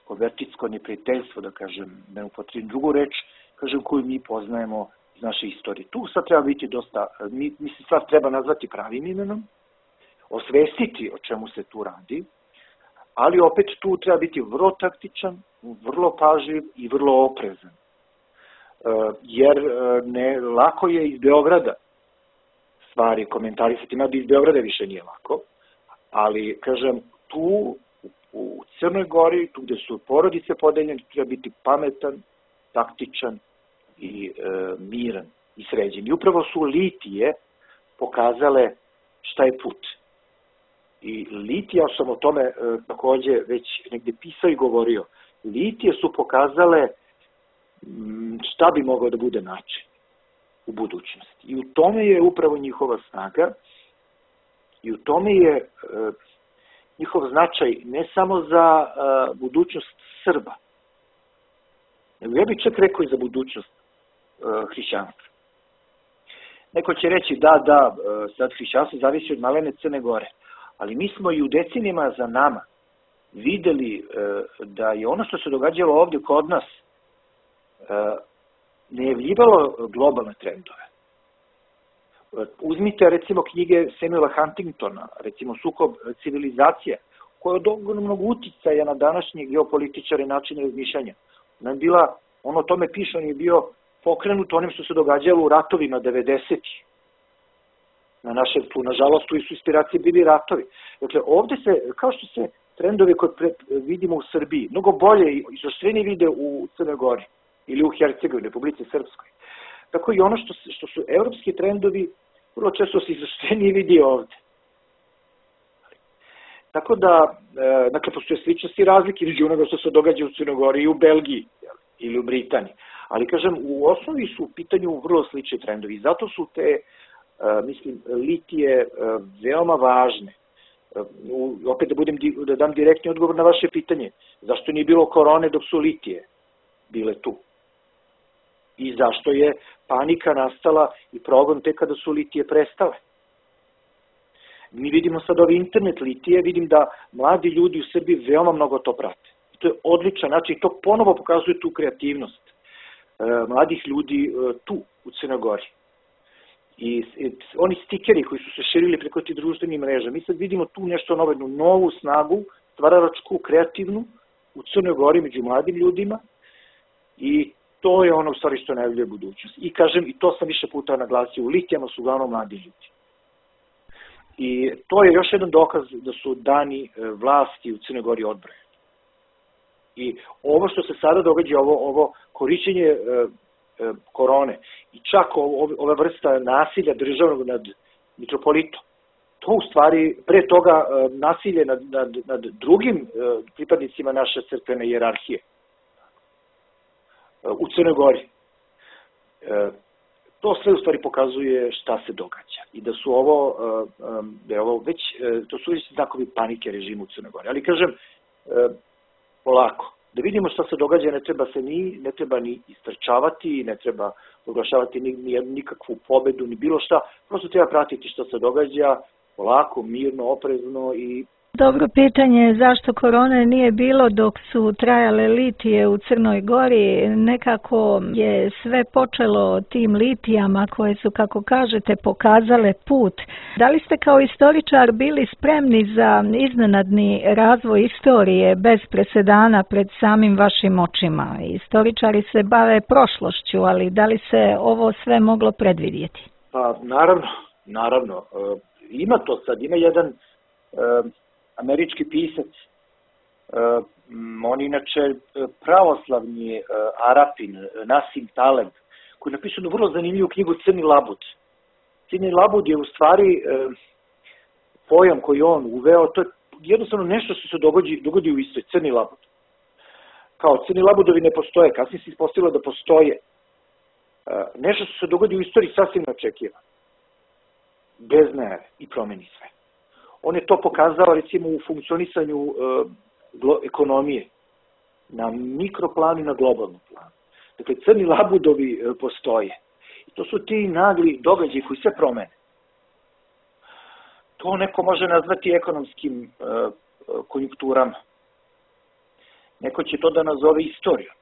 konvertitsko neprijateljstvo, da kažem, ne upotrebim drugu reč, kažem, koju mi poznajemo iz naše istorije. Tu sad treba biti dosta, mislim, sad treba nazvati pravim imenom, osvestiti o čemu se tu radi, ali opet tu treba biti vrlo taktičan, vrlo pažljiv i vrlo oprezan. Jer lako je iz Beograda stvari komentarisati, mada iz Beograda više nije lako, ali, kažem, tu u Crnoj Gori, tu gde su porodice podeljene, treba biti pametan, taktičan i miran i sređen. I upravo su litije pokazale šta je put. I litije, ja sam o tome takođe već negde pisao i govorio, litije su pokazale šta bi mogao da bude način u budućnosti. I u tome je upravo njihova snaga i u tome je njihov značaj ne samo za budućnost Srba, nego ja bih čak rekao i za budućnost hrišćanstva. Neko će reći da, sad hrišćanstvo zavisi od malene Crne Gore, ali mi smo i u decenijama za nama videli da je ono što se događalo ovdje kod nas najavljivalo globalne trendove. Uzmite, recimo, knjige Samuela Huntingtona, recimo Sukob civilizacija, koja je od ogromnog uticaja na današnje geopolitičare i načine razmišljanja. Ona je bila, on o tome piše, on je bio pokrenut onim što se događalo u ratovima 90-ih. Nažalost, tu su inspiracije bili ratovi. Dakle, ovde se, kao što se trendovi koje vidimo u Srbiji, mnogo bolje i izoštrenije vide u Crnoj Gori ili u Hercegovini, Republici Srpskoj. Tako i ono što su evropski trendovi, vrlo često se izoštrenije vidi ovde. Tako da, dakle, postoje sličnosti i razlike između onoga što se događa u Crnoj Gori i u Belgiji ili u Britaniji. Ali, kažem, u osnovi su u pitanju vrlo slični trendovi. Zato su te, mislim, litije veoma važne. Opet da dam direktni odgovor na vaše pitanje. Zašto nije bilo korone dok su litije bile tu? I zašto je panika nastala i progon tek kada su litije prestale? Mi vidimo sad ove internet litije, vidim da mladi ljudi u Srbiji veoma mnogo to prate. I to je odličan način i to ponovo pokazuje tu kreativnost mladih ljudi tu u Crnoj Gori. I oni stikeri koji su se širili preko tih društvenih mreža, mi sad vidimo tu nešto novo, jednu novu snagu, stvaralačku, kreativnu u Crnoj Gori među mladim ljudima i to je ono u stvari što najavljuje budućnost. I kažem, i to sam više puta naglasio, u litijama su uglavnom mladi ljudi. I to je još jedan dokaz da su dani vlasti u Crnoj Gori odbrojeni. I ovo što se sada događa, ovo korišćenje korone i čak ova vrsta nasilja državnog nad mitropolitom, to u stvari pre toga nasilje nad drugim pripadnicima naše crkvene hijerarhije u Crnoj Gori. To sve u stvari pokazuje šta se događa i da su ovo već, to su već znakovi panike režimu u Crnoj Gori. Ali kažem, polako, da vidimo šta se događa, ne treba ni istrčavati, ne treba oglašavati nikakvu pobedu, ni bilo šta, prosto treba pratiti šta se događa, polako, mirno, oprezno i... Dobro pitanje je zašto korone nije bilo dok su trajale litije u Crnoj Gori. Nekako je sve počelo tim litijama koje su, kako kažete, pokazale put. Da li ste kao istoričar bili spremni za iznenadni razvoj istorije bez presedana pred samim vašim očima? Istoričari se bave prošlošću, ali da li se ovo sve moglo predvidjeti? Pa, naravno. Ima to sad, ima jedan... američki pisac, on inače pravoslavni Arapin, Nasim Taleb, koji je napisao vrlo zanimljivu knjigu Crni labud. Crni labud je u stvari pojam koji on uveo, to je jednostavno nešto što se dogodi u istoj, Crni labud. kao crni labudovi ne postoje, kasnije se ispostavilo da postoje. Nešto što se dogodi u istoriji sasvim neočekivano. Bez najave i promeni sve. On je to pokazao recimo u funkcionisanju ekonomije na mikroplanu i na globalnom planu. Dakle, crni labudovi postoje. I to su ti nagli događaji koji sve promene. To neko može nazvati ekonomskim konjunkturama. Neko će to da nazove istorijom.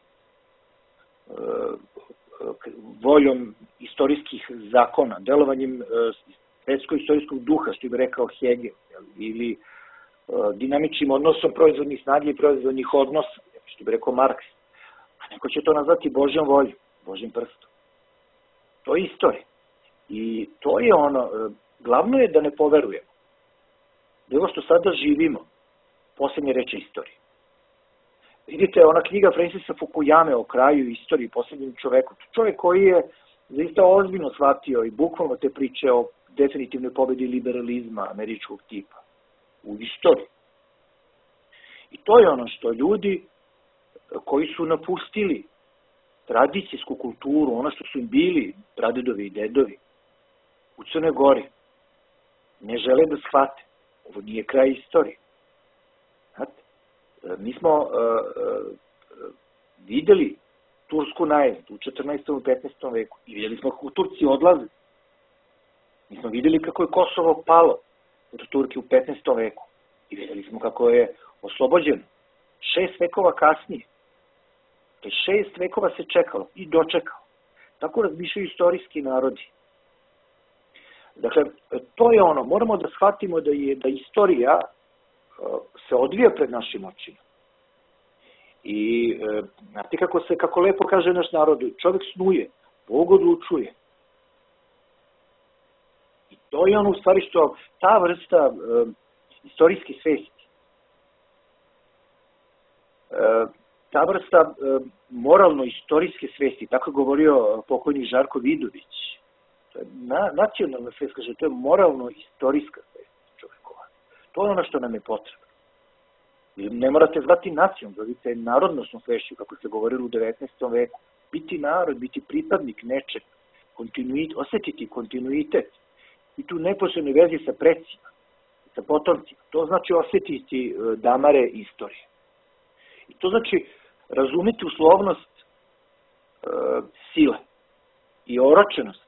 Voljom istorijskih zakona, delovanjem svetsko-istorijskog duha, što bi rekao Hegel, ili dinamičnim odnosom proizvodnih snage i proizvodnih odnosa, što bi rekao Marks. A neko će to nazvati Božjom voljom, Božjim prstom. To je istorija. I to je ono, glavno je da ne poverujemo. Da je ovo što sada živimo, poslednje reče istorije. Vidite, ona knjiga Francisa Fukuyame o kraju istoriji, poslednjem čoveku, čovjek koji je zaista ozbiljno shvatio i bukvalno te priče o definitivnoj pobedi liberalizma američkog tipa u istoriji. I to je ono što ljudi koji su napustili tradicijsku kulturu, ono što su im bili pradedovi i dedovi u Crnoj Gori, ne žele da shvate. Ovo nije kraj istorije. Znate, mi smo videli tursku najezdu u 14. i 15. veku i videli smo kako Turci odlaze. Mi smo videli kako je Kosovo palo od Turke u 15. veku i videli smo kako je oslobođeno 6 vekova kasnije. 6 vekova se čekalo i dočekalo. Tako razmišljaju istorijski narodi. Dakle, to je ono, moramo da shvatimo da istorija se odvija pred našim očima. I znate kako lepo kaže naš narod, čovjek snuje, Bog odlučuje. I to je ono u stvari što ta vrsta istorijske svesti, ta vrsta moralno-istorijske svesti, tako je govorio pokojni Žarko Vidović, to je nacionalna svest, kaže, to je moralno-istorijska svest čovekova. To je ono što nam je potrebno. Ne morate zvati nacijom, zovite narodnosnom svešću, kako se govorilo u 19. veku. Biti narod, biti pripadnik nečeg, osetiti kontinuitet i tu neposrednoj vezi sa precima, sa potomcima. To znači osetiti damare istorije. I to znači razumeti uslovnost sile i oročenost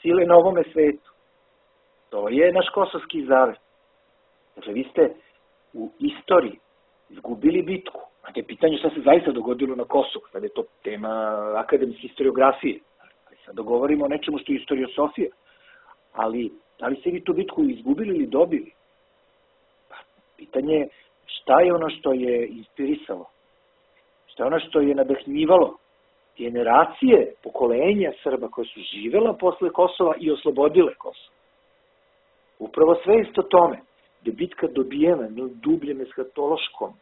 sile na ovome svetu. To je naš kosovski zavet. Dakle, vi ste u istoriji izgubili bitku. Znate, pitanje šta se zaista dogodilo na Kosovu. Sad je to tema akademske historiografije. Sad dogovorimo o nečemu što je historiosofija. Ali, da li ste vi tu bitku izgubili ili dobili? Pa, pitanje je šta je ono što je inspirisalo? Šta je ono što je nadahnjivalo generacije, pokolenja Srba koje su živela posle Kosova i oslobodile Kosovo? Upravo svest o tome da je bitka dobijena na dubljem eskatološkom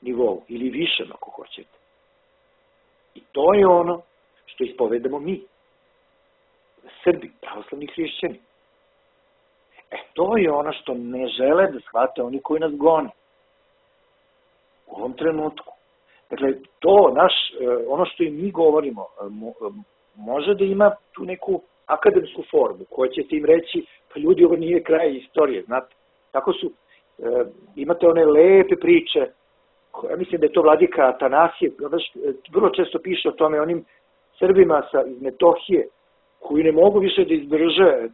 nivou ili višem ako hoćete. I to je ono što ispovedamo mi, Srbi, pravoslavni hrišćani. To je ono što ne žele da shvate oni koji nas gone u ovom trenutku. Dakle, to ono što im mi govorimo može da ima tu neku akademsku formu koja ćete im reći, pa ljudi, ovo nije kraj istorije, znate. Tako su, imate one lepe priče, ja mislim da je to vladika Atanasije, vrlo često piše o tome, onim Srbima iz Metohije, koji ne mogu više da izdrže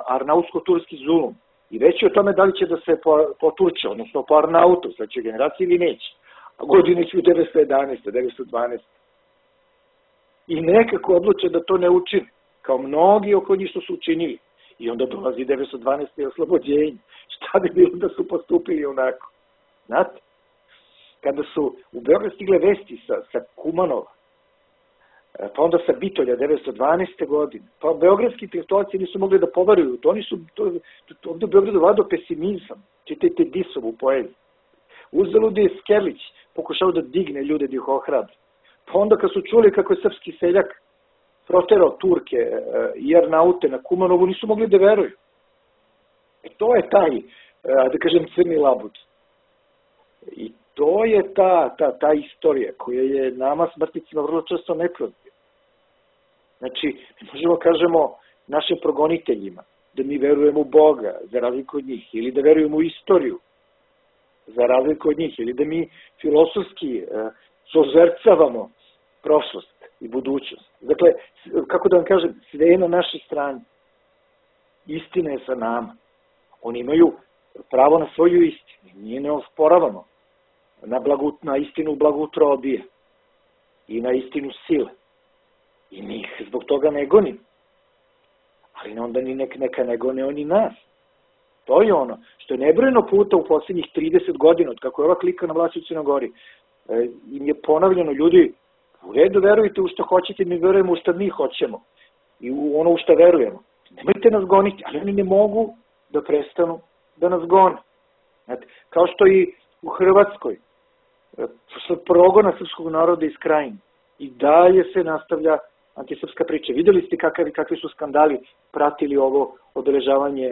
arnautsko-turski zulum. I već je o tome da li će da se potuče, odnosno po Arnautu, sledeće generacije ili neće. A godine su 1911. 1912. I nekako odluče da to ne učine, kao mnogi oko njih što su učinili. I onda dolazi 1912. oslobođenje. Šta bi bilo da su postupili onako? Znate? Kada su u Beograd stigle vesti sa Kumanova, pa onda sa Bitolja 1912. godine, pa beogradski intelektualci nisu mogli da poveruju. Ovde u Beogradu vladao pesimizam. Čitajte Disovu poeziju. Uzalud je Skerlić pokušao da digne ljude da ih ohrabre. Pa onda kad su čuli kako je srpski seljak proterao Turke i Arnaute na Kumanovu, nisu mogli da veruju. To je taj, da kažem, crni labud. I to je ta istorija koja je nama smrtnicima vrlo često neprozirna. Znači, možemo kažemo našim progoniteljima da mi verujemo u Boga za razliku od njih, ili da verujemo u istoriju za razliku od njih, ili da mi filosofski sozercavamo prošlost i budućnost. Dakle, kako da vam kažem, sve je na našoj strani. Istina je sa nama. Oni imaju pravo na svoju istinu. Nije ne osporavamo na istinu blagoutrobije i na istinu sile. I mi ih zbog toga ne gonimo. Ali onda ni neka ne gone oni nas. To je ono što je nebrojeno puta u posljednjih 30 godina, od kako je ova klika na vlasti u Crnoj Gori, im je ponavljeno, ljudi, u redu verujte u što hoćete, mi verujemo u što mi hoćemo i u ono u što verujemo. Nemojte nas goniti, ali oni ne mogu da prestanu da nas gone. Znate, kao što i u Hrvatskoj, progona srpskog naroda iz Krajine, i dalje se nastavlja antisrpska priča. Videli ste kakvi su skandali pratili ovo obeležavanje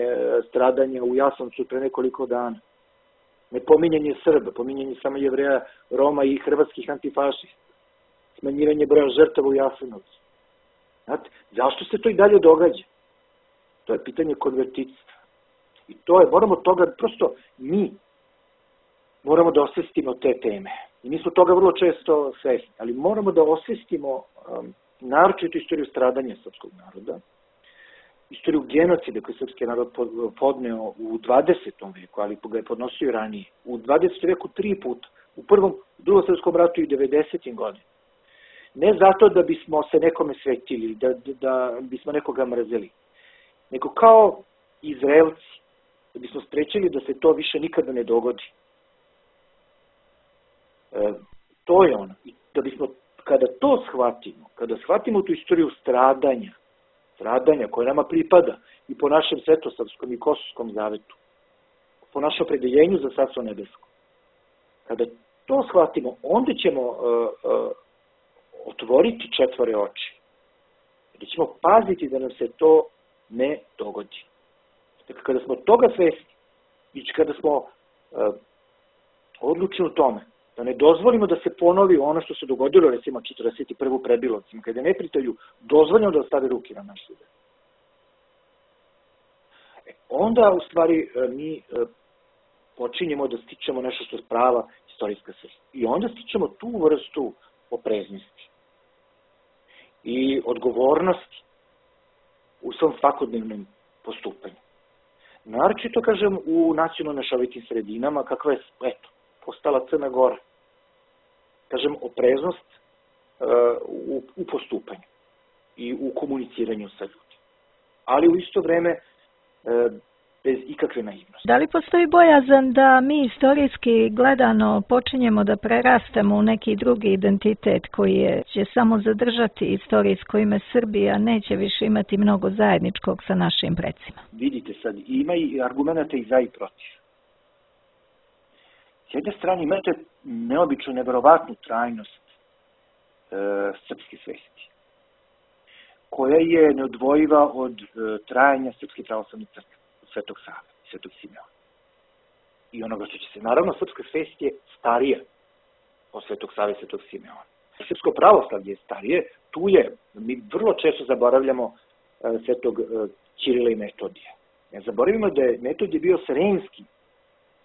stradanja u Jasenovcu pre nekoliko dana. Nepominjanje Srba, pominjanje samo Jevreja, Roma i hrvatskih antifašista. Smanjivanje broja žrtava u Jasenovcu. Znate, zašto se to i dalje događa? To je pitanje konvertitstva. I to je, moramo toga, prosto mi moramo da osvestimo te teme. I mi smo toga vrlo često svesni, ali moramo da osvestimo naročito istoriju stradanja srpskog naroda, istoriju genocida koji srpski narod podneo u 20. veku, ali ga je podnosio ranije. U 20. veku 3 puta. U prvom, drugom svetskom ratu i 90. godinu. Ne zato da bismo se nekome svetili, da bismo nekoga mrzeli, nego kao Izraelci, da bismo sprečili da se to više nikada ne dogodi. To je ono. I da bismo, kada to shvatimo, kada shvatimo tu istoriju stradanja koja nama pripada i po našem svetosavskom i kosovskom zavetu, po našem opredeljenju za Carstvo nebesko, kada to shvatimo, onda ćemo otvoriti četvore oči. Da ćemo paziti da nam se to ne dogodi. Dakle, kada smo toga svesni i kada smo odlučni u tome, da ne dozvolimo da se ponovi ono što se dogodilo, recimo 41. prebilovcima, kada je neprijatelju dozvoljeno da stave ruke na naš sud. Onda, u stvari, mi počinjemo da stičemo nešto što je prava istorijska svest. I onda stičemo tu vrstu opreznosti i odgovornosti u svom svakodnevnom postupanju. Naročito, kažem, u nacionalno mešovitim sredinama, kakva je, eto, postala Crna Gora. Kažem, opreznost u postupanju i u komuniciranju sa ljudima. Ali u isto vreme bez ikakve naivnosti. Da li postoji bojazan da mi istorijski gledano počinjemo da prerastemo u neki drugi identitet koji će samo zadržati istorijsko ime Srbije, a neće više imati mnogo zajedničkog sa našim precima? Vidite sad, ima i argumenta i za i protiv. S jedne strane imate neobičnu, neverovatnu trajnost srpske svesti, koja je neodvojiva od trajanja Srpske pravoslavne crkve, od Svetog Save, Svetog Simeona. I onoga što će se, naravno, srpska svest je starija od Svetog Save i Svetog Simeona. Srpsko pravoslavlje je starije, tu je, mi vrlo često zaboravljamo Svetog Ćirila i Metodija. Ne zaboravimo da je Metodije bio sremski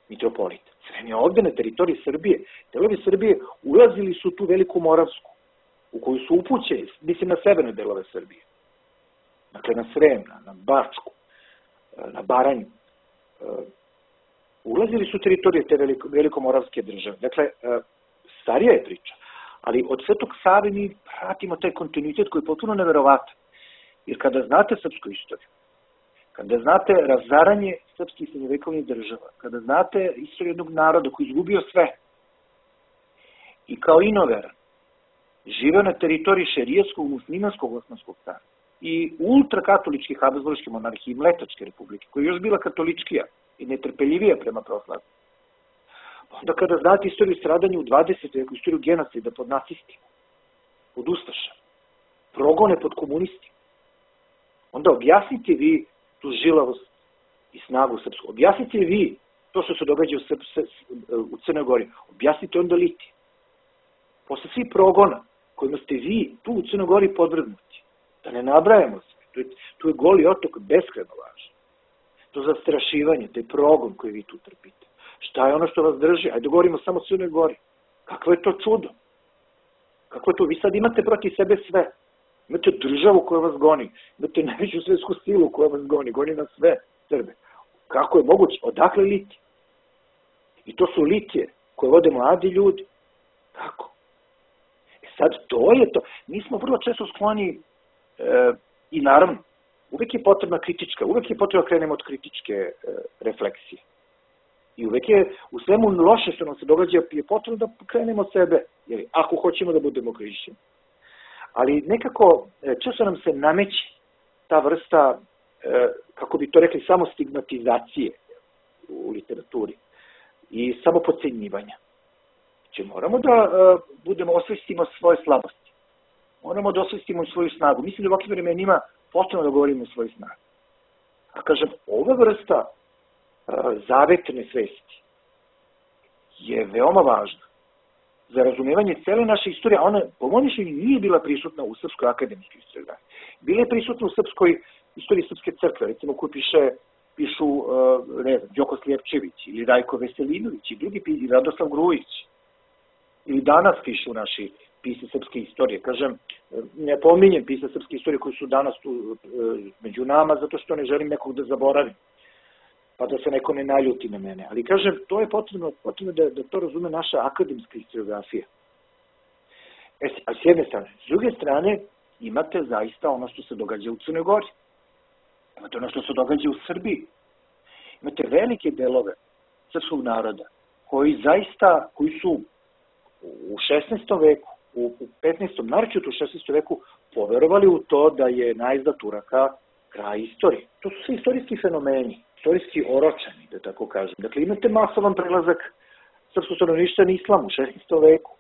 mitropolit. Srem je ovde na teritoriji Srbije. Delovi Srbije ulazili su tu Veliku Moravsku, u koju su upućeni, mislim na severne delove Srbije. Dakle, na Srem, na Bačku, na Baranju. Ulazili su teritorije te velikomoravske države. Dakle, starija je priča. Ali od Svetog Save mi pratimo taj kontinuitet koji je potpuno neverovatan. Jer kada znate srpsku istoriju, kada znate razaranje srpskih srednjovekovnih država, kada znate istoriju jednog naroda koji je izgubio sve i kao inoveran, žive na teritoriji šerijatskog, muslimanskog osmanskog carstva i ultrakatoličke habsburške monarhije i Mletačke republike, koja je još bila katoličkija i netrpeljivija prema pravoslavlju. Onda kada znate istoriju stradanja u 20. veku, istoriju genocida pod nacistima, pod ustašama, progone pod komunistima, onda objasnite vi tu žilavost i snagu srpsku. Objasnite vi to što se događa u Crnoj Gori, objasnite onda litije. Posle svih progona kojima ste vi tu u Crnoj Gori podvrgnuti, da ne nabrajamo sve, tu je Goli otok beskrajno važan. To zastrašivanje, taj progon koji vi tu trpite. Šta je ono što vas drži? Ajde govorimo samo o Crnoj Gori. Kakvo je to čudo? Kako je to? Vi sad imate protiv sebe sve. Imate državu koja vas goni. Imate najveću svetsku silu koja vas goni. Goni na sve Srbe. Kako je moguće? Odakle litije? I to su litije koje vode mladi ljudi. Kako? Sad, to je to. Mi smo vrlo često skloni i naravno, uvek je potrebna kritička, uvek je potrebno da krenemo od kritičke refleksije. I uvek je u svemu loše što nam se događa je potrebno da krenemo od sebe, jer ako hoćemo da budemo hrišćani. Ali nekako, često nam se nameće ta vrsta, kako bi to rekli, samo stigmatizacije u literaturi i samo podcenjivanja. Znači, moramo da osvestimo svoje slabosti. Moramo da osvestimo svoju snagu. Mislim da u ovakvim vremenima potrebno da govorimo o svojoj snagi. A kažem, ova vrsta zavetne svesti je veoma važna za razumevanje cele naše istorije, a ona, po mojom mišljenju, nije bila prisutna u Srpskoj akademskoj historiografiji. Bila je prisutna u srpskoj istoriji Srpske crkve, recimo koju pišu, ne znam, Đoko Slijepčević ili Rajko Veselinović i drugi, i Radoslav Grujić. Ili danas pišu naši pisci srpske istorije. Kažem, ne pominjem pisce srpske istorije koji su danas tu među nama, zato što ne želim nekog da zaboravim, pa da se neko ne naljuti na mene. Ali kažem, to je potrebno da to razume naša akademska historiografija. A s jedne strane. S druge strane, imate zaista ono što se događa u Crnoj Gori. Imate ono što se događa u Srbiji. Imate velike delove srpskog naroda koji su u 16. veku, u 15. naročito u 16. veku poverovali u to da je najezda Turaka kraj istorije. To su sve istorijski fenomeni, istorijski oročeni, da tako kažem. Dakle, imate masovan prelazak srpskog stanovništva na islam u 16. veku.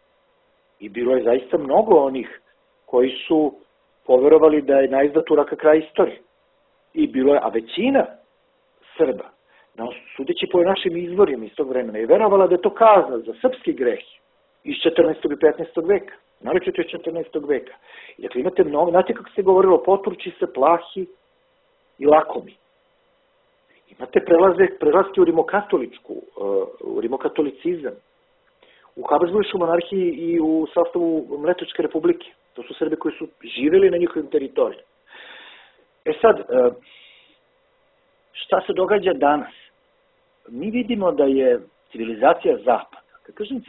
I bilo je zaista mnogo onih koji su poverovali da je najezda Turaka kraj istorije. I bilo je, a većina Srba, sudeći po našim izvorima iz tog vremena, je verovala da je to kazna za srpski greh iz 14. i 15. veka, naročito iz 14. veka. I dakle, imate mnogo, znate kako se govorilo, poturči se, plahi i lakomi. Imate prelazke u rimokatolicizam, u Habsburškoj monarhiji i u sastavu Mletačke republike. To su Srbi koji su živjeli na njihovim teritorijama. Sad, šta se događa danas? Mi vidimo da je civilizacija Zapada. Kad kažem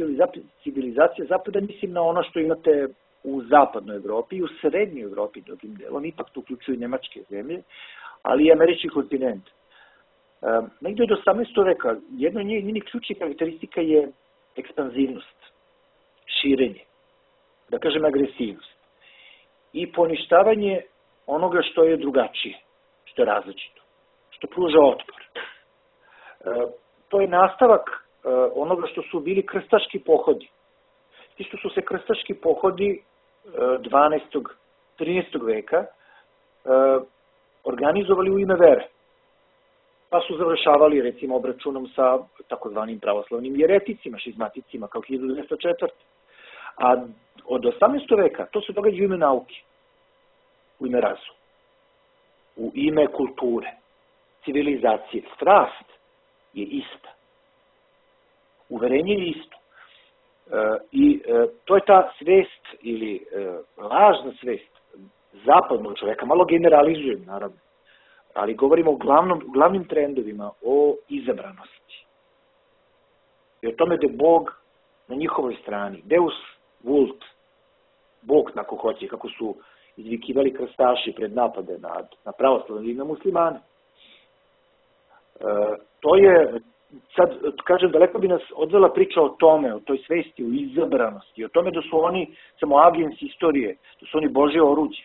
civilizacija Zapada, mislim na ono što imate u zapadnoj Evropi i u srednjoj Evropi drugim delom, ipak tu uključuju nemačke zemlje, ali i američki kontinent. Negde od 18. veka, jedna od njenih ključnih karakteristika je ekspanzivnost, širenje, da kažem agresivnost i poništavanje onoga što je drugačije, što je različito, što pruža otpor. To je nastavak onoga što su bili krstaški pohodi. Ti što su se krstaški pohodi 12. 13. veka organizovali u ime vere. Pa su završavali, recimo, obračunom sa takozvanim pravoslavnim jereticima, šizmaticima, kao 1204. A od 18. veka to se događa u ime nauke, u ime razuma, u ime kulture, civilizacije. Strast je ista. Uverenje je isto. I to je ta svest ili lažna svest zapadnog čoveka, malo generalizujem naravno, ali govorimo o glavnim trendovima, o izabranosti. I o tome da je Bog na njihovoj strani. Deus vult, Bog, ako hoće, kako su izvikivali krstaši pred napade na pravoslavne i na muslimane. To je, sad kažem, daleko bi nas odvela priča o tome, o toj svesti, o izabranosti, o tome da su oni samo agensi istorije, da su oni Božje oruđe.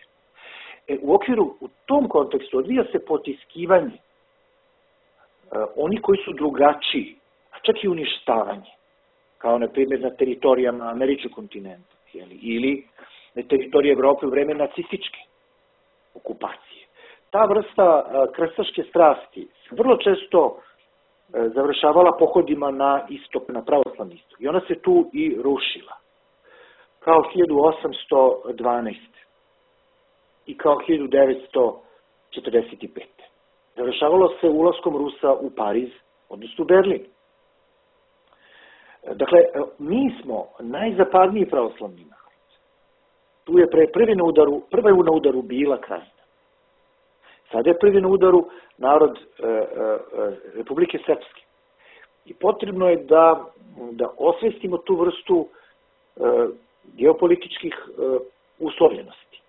U tom kontekstu odvija se potiskivanje oni koji su drugačiji, a čak i uništavanje, kao na primjer na teritorijama američkog kontinenta ili na teritoriji Evrope u vreme nacističke okupacije. Ta vrsta krstaške strasti se vrlo često završavala pohodima na istok, na pravoslavni istok. I ona se tu i rušila. Kao 1812. I kao 1945. Završavalo se ulaskom Rusa u Pariz, odnosno u Berlin. Dakle, mi smo najzapadniji pravoslavni narod. Tu je prva je na udaru bila Krajina. Sada je prvi na udaru narod Republike Srpske. I potrebno je da osvestimo tu vrstu geopolitičkih uslovljenosti.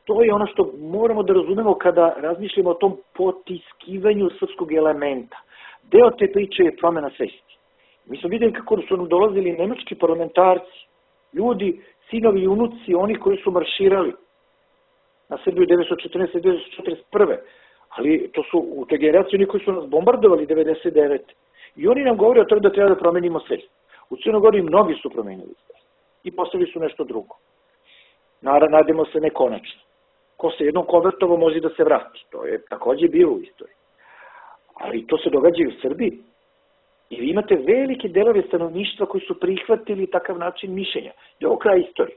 To je ono što moramo da razumemo kada razmišljamo o tom potiskivanju srpskog elementa. Deo te priče je promena svesti. Mi smo vidjeli kako su nam dolazili nemački parlamentarci, ljudi, sinovi i unuci, oni koji su marširali na Srbiju 1914-1941. Ali to su u toj generaciji oni koji su nas bombardovali 1999. I oni nam govore o tome da treba da promenimo svest. U Crnoj Gori mnogi su promenili svest. I postavili su nešto drugo. Nadimo se nekonačno. Ko se jednom konvertovao može da se vrati. To je takođe bilo u istoriji. Ali to se događa i u Srbiji. I vi imate velike delove stanovništva koji su prihvatili takav način mišljenja. To je ovo kraj istorije.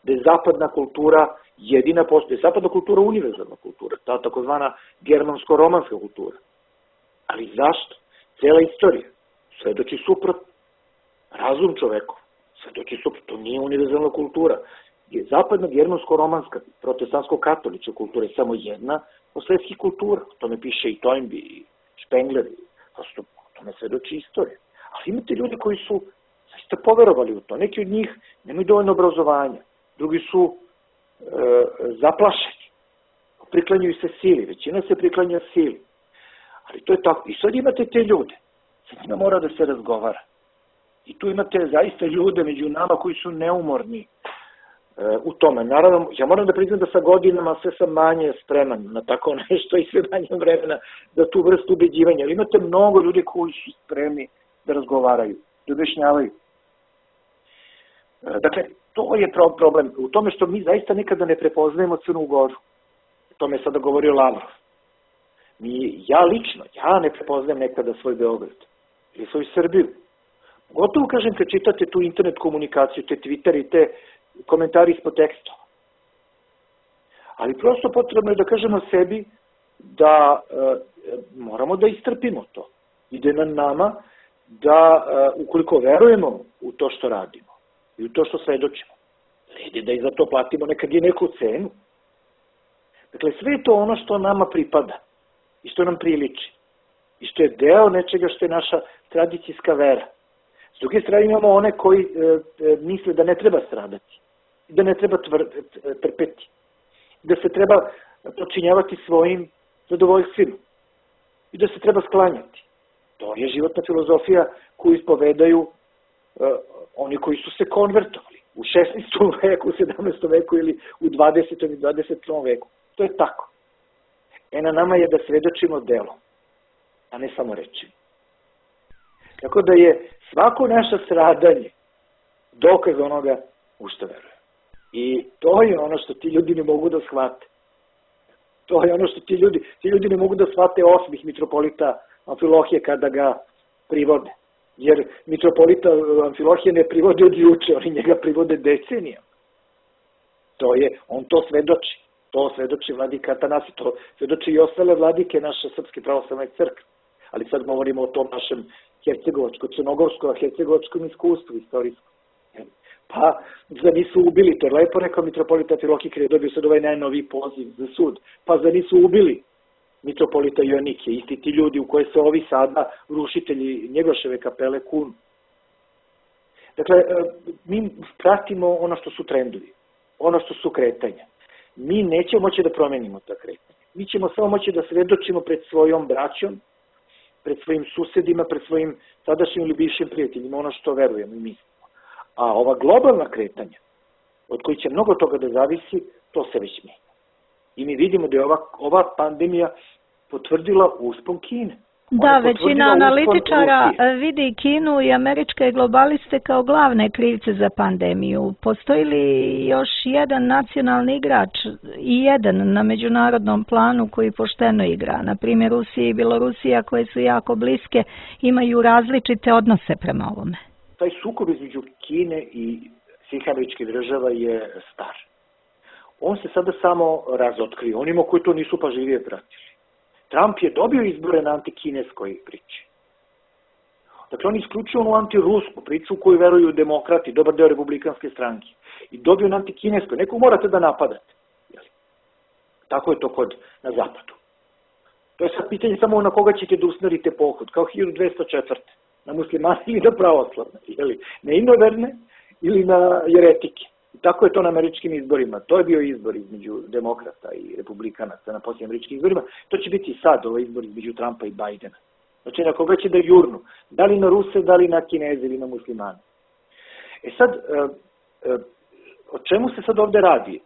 Da je zapadna kultura jedina postoje. Zapadna kultura je univerzalna kultura. Ta takozvana germansko-romanska kultura. Ali zašto? Cela istorija svedoči suprotno. Razum čovekov svedoči suprotno. To nije univerzalna kultura. Zapadna germansko-romanska protestantsko-katolička kultura je samo jedna od svetskih kultura. O tome piše i Toynbee i Spengler. Prosto o tome svedoči istorija. Ali imate ljudi koji su zaista poverovali u to. Neki od njih nemaju dovoljno obrazovanja. Drugi su zaplašeni. Priklanjaju se sili. Većina se priklanja sili. Ali to je tako. I sad imate te ljude. Sa njima mora da se razgovara. I tu imate zaista ljude među nama koji su neumorni u tome. Naravno, ja moram da priznam da sa godinama sve sam manje spreman na tako nešto i sve manje vremena za tu vrstu ubeđivanja. Ali imate mnogo ljudi koji su spremni da razgovaraju, da objašnjavaju. Dakle, to je problem. U tome što mi zaista nekada ne prepoznajemo Crnu Goru. O tome je sada govorio Lavrov. Ja ne prepoznajem nekada svoj Beograd ili svoju Srbiju. Gotovo kažem kad čitate tu internet komunikaciju, te Twitter i te komentari ispod tekstova. Ali prosto potrebno je da kažemo sebi da moramo da istrpimo to. Ide na nama da ukoliko verujemo u to što radimo i u to što svedočimo, ide da i za to platimo nekad i neku cenu. Dakle, sve je to ono što nama pripada i što nam priliči i što je deo nečega što je naša tradicijska vera. S druge strane imamo one koji misle da ne treba stradati, da ne treba trpeti, da se treba počinjavati svojim zadovoljstvima i da se treba sklanjati. To je životna filozofija koju ispovedaju oni koji su se konvertovali u 16. veku, u 17. veku ili u 20. i 21. veku. To je tako. Na nama je da svedočimo delom, a ne samo rečima. Tako da je svako naše stradanje dokaz onoga u što veruje. I to je ono što ti ljudi ne mogu da shvate. To je ono što ti ljudi ne mogu da shvate osmih mitropolita Amfilohije kada ga privode. Jer mitropolita Amfilohije ne privode od juče, oni njega privode decenijama. On to svedoči. To svedoči vladika Atanasije, to svedoči i ostale vladike naše Srpske pravoslavne crkve. Ali sad govorimo o tom našem hercegovačko-crnogorskom iskustvu istorijskom. Pa, za nisu ubili, to je lepo rekao mitropolita Amfilohije kada je dobio sad ovaj najnoviji poziv za sud. Pa za nisu ubili mitropolita Joanikija, isti ti ljudi u koje se ovi sada rušitelji Njegoševe kapele kunu. Dakle, mi pratimo ono što su trendovi, ono što su kretanja. Mi nećemo moći da promenimo ta kretanja. Mi ćemo samo moći da svedočimo pred svojom braćom, pred svojim susedima, pred svojim sadašnjim ili bivšim prijateljima, ono što verujemo i mislimo. A ova globalna kretanja, od kojih će mnogo toga da zavisi, to se već menja. I mi vidimo da je ova pandemija potvrdila uspon Kine. Da, većina analitičara vidi Kinu i američke globaliste kao glavne krivce za pandemiju. Postoji li još jedan nacionalni igrač i jedan na međunarodnom planu koji pošteno igra? Na primjer, Rusija i Bjelorusija, koje su jako bliske, imaju različite odnose prema ovome. Taj sukob između Kine i svih američkih država je star. On se sada samo razotkrio, onima koji to nisu pažljivije pratili. Trump je dobio izbore na antikineskoj priči. Dakle, on isključio onu antirusku priču u koju veruju demokrati, dobar deo republikanske stranke. I dobio na antikineskoj. Nekog morate da napadate. Tako je to na zapadu. To je sad pitanje samo na koga ćete da usmerite pohod, kao 1204. Na muslimane ili na pravoslavne. Na inoverne ili na jeretike. I tako je to na američkim izborima. To je bio izbor između demokrata i republikanaca na posljednjim američkim izborima. To će biti sad ovaj izbor između Trumpa i Bajdena. Znači na koga će da jurnu. Da li na Ruse, da li na Kineze ili na muslimane. Sad, o čemu se sad ovde radi?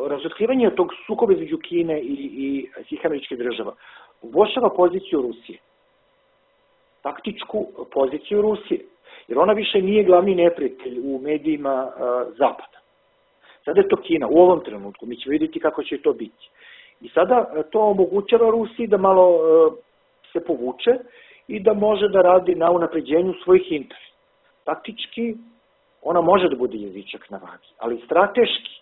Razotkrivanje tog sukoba između Kine i svih američkih država uboljšava poziciju Rusije. Taktičku poziciju Rusije. Jer ona više nije glavni neprijatelj u medijima Zapada. Sada je to Kina, u ovom trenutku. Mi ćemo vidjeti kako će to biti. I sada to omogućava Rusiji da malo se povuče i da može da radi na unapređenju svojih interesa. Taktički, ona može da bude jezičak na vagi, ali strateški,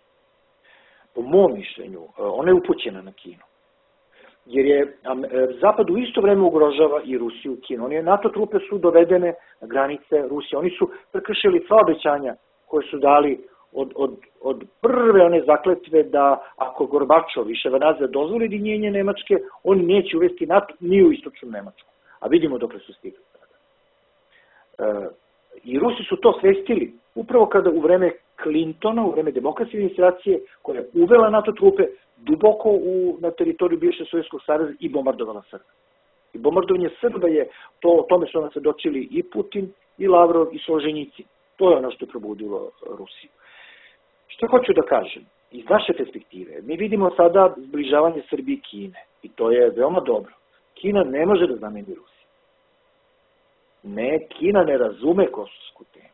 po mom mišljenju, ona je upućena na Kinu. Jer je Zapad u isto vreme ugrožava i Rusiju i Kinu. NATO trupe su dovedene na granice Rusije. Oni su prekršili sva obećanja koje su dali od prve one zakletve da ako Gorbačov i Ševardnadze dozvoli jedinjenje Nemačke, oni neće uvesti NATO ni u istočnu Nemačku. A vidimo dokle su stigli sada. I Rusi su to svestili upravo kada u vreme Clintona, u vreme demokratske administracije, koja je uvela NATO trupe duboko na teritoriju bivšeg Sovjetskog saveza i bombardovala Srba. I bombardovanje Srba je, o tome su nam svedočili i Putin, i Lavrov, i Solženjicin. To je ono što je probudilo Rusiju. Što hoću da kažem? Iz naše perspektive, mi vidimo sada zbližavanje Srbije i Kine. I to je veoma dobro. Kina ne može da zameni Rusiju. Ne, Kina ne razume kosovsku temu.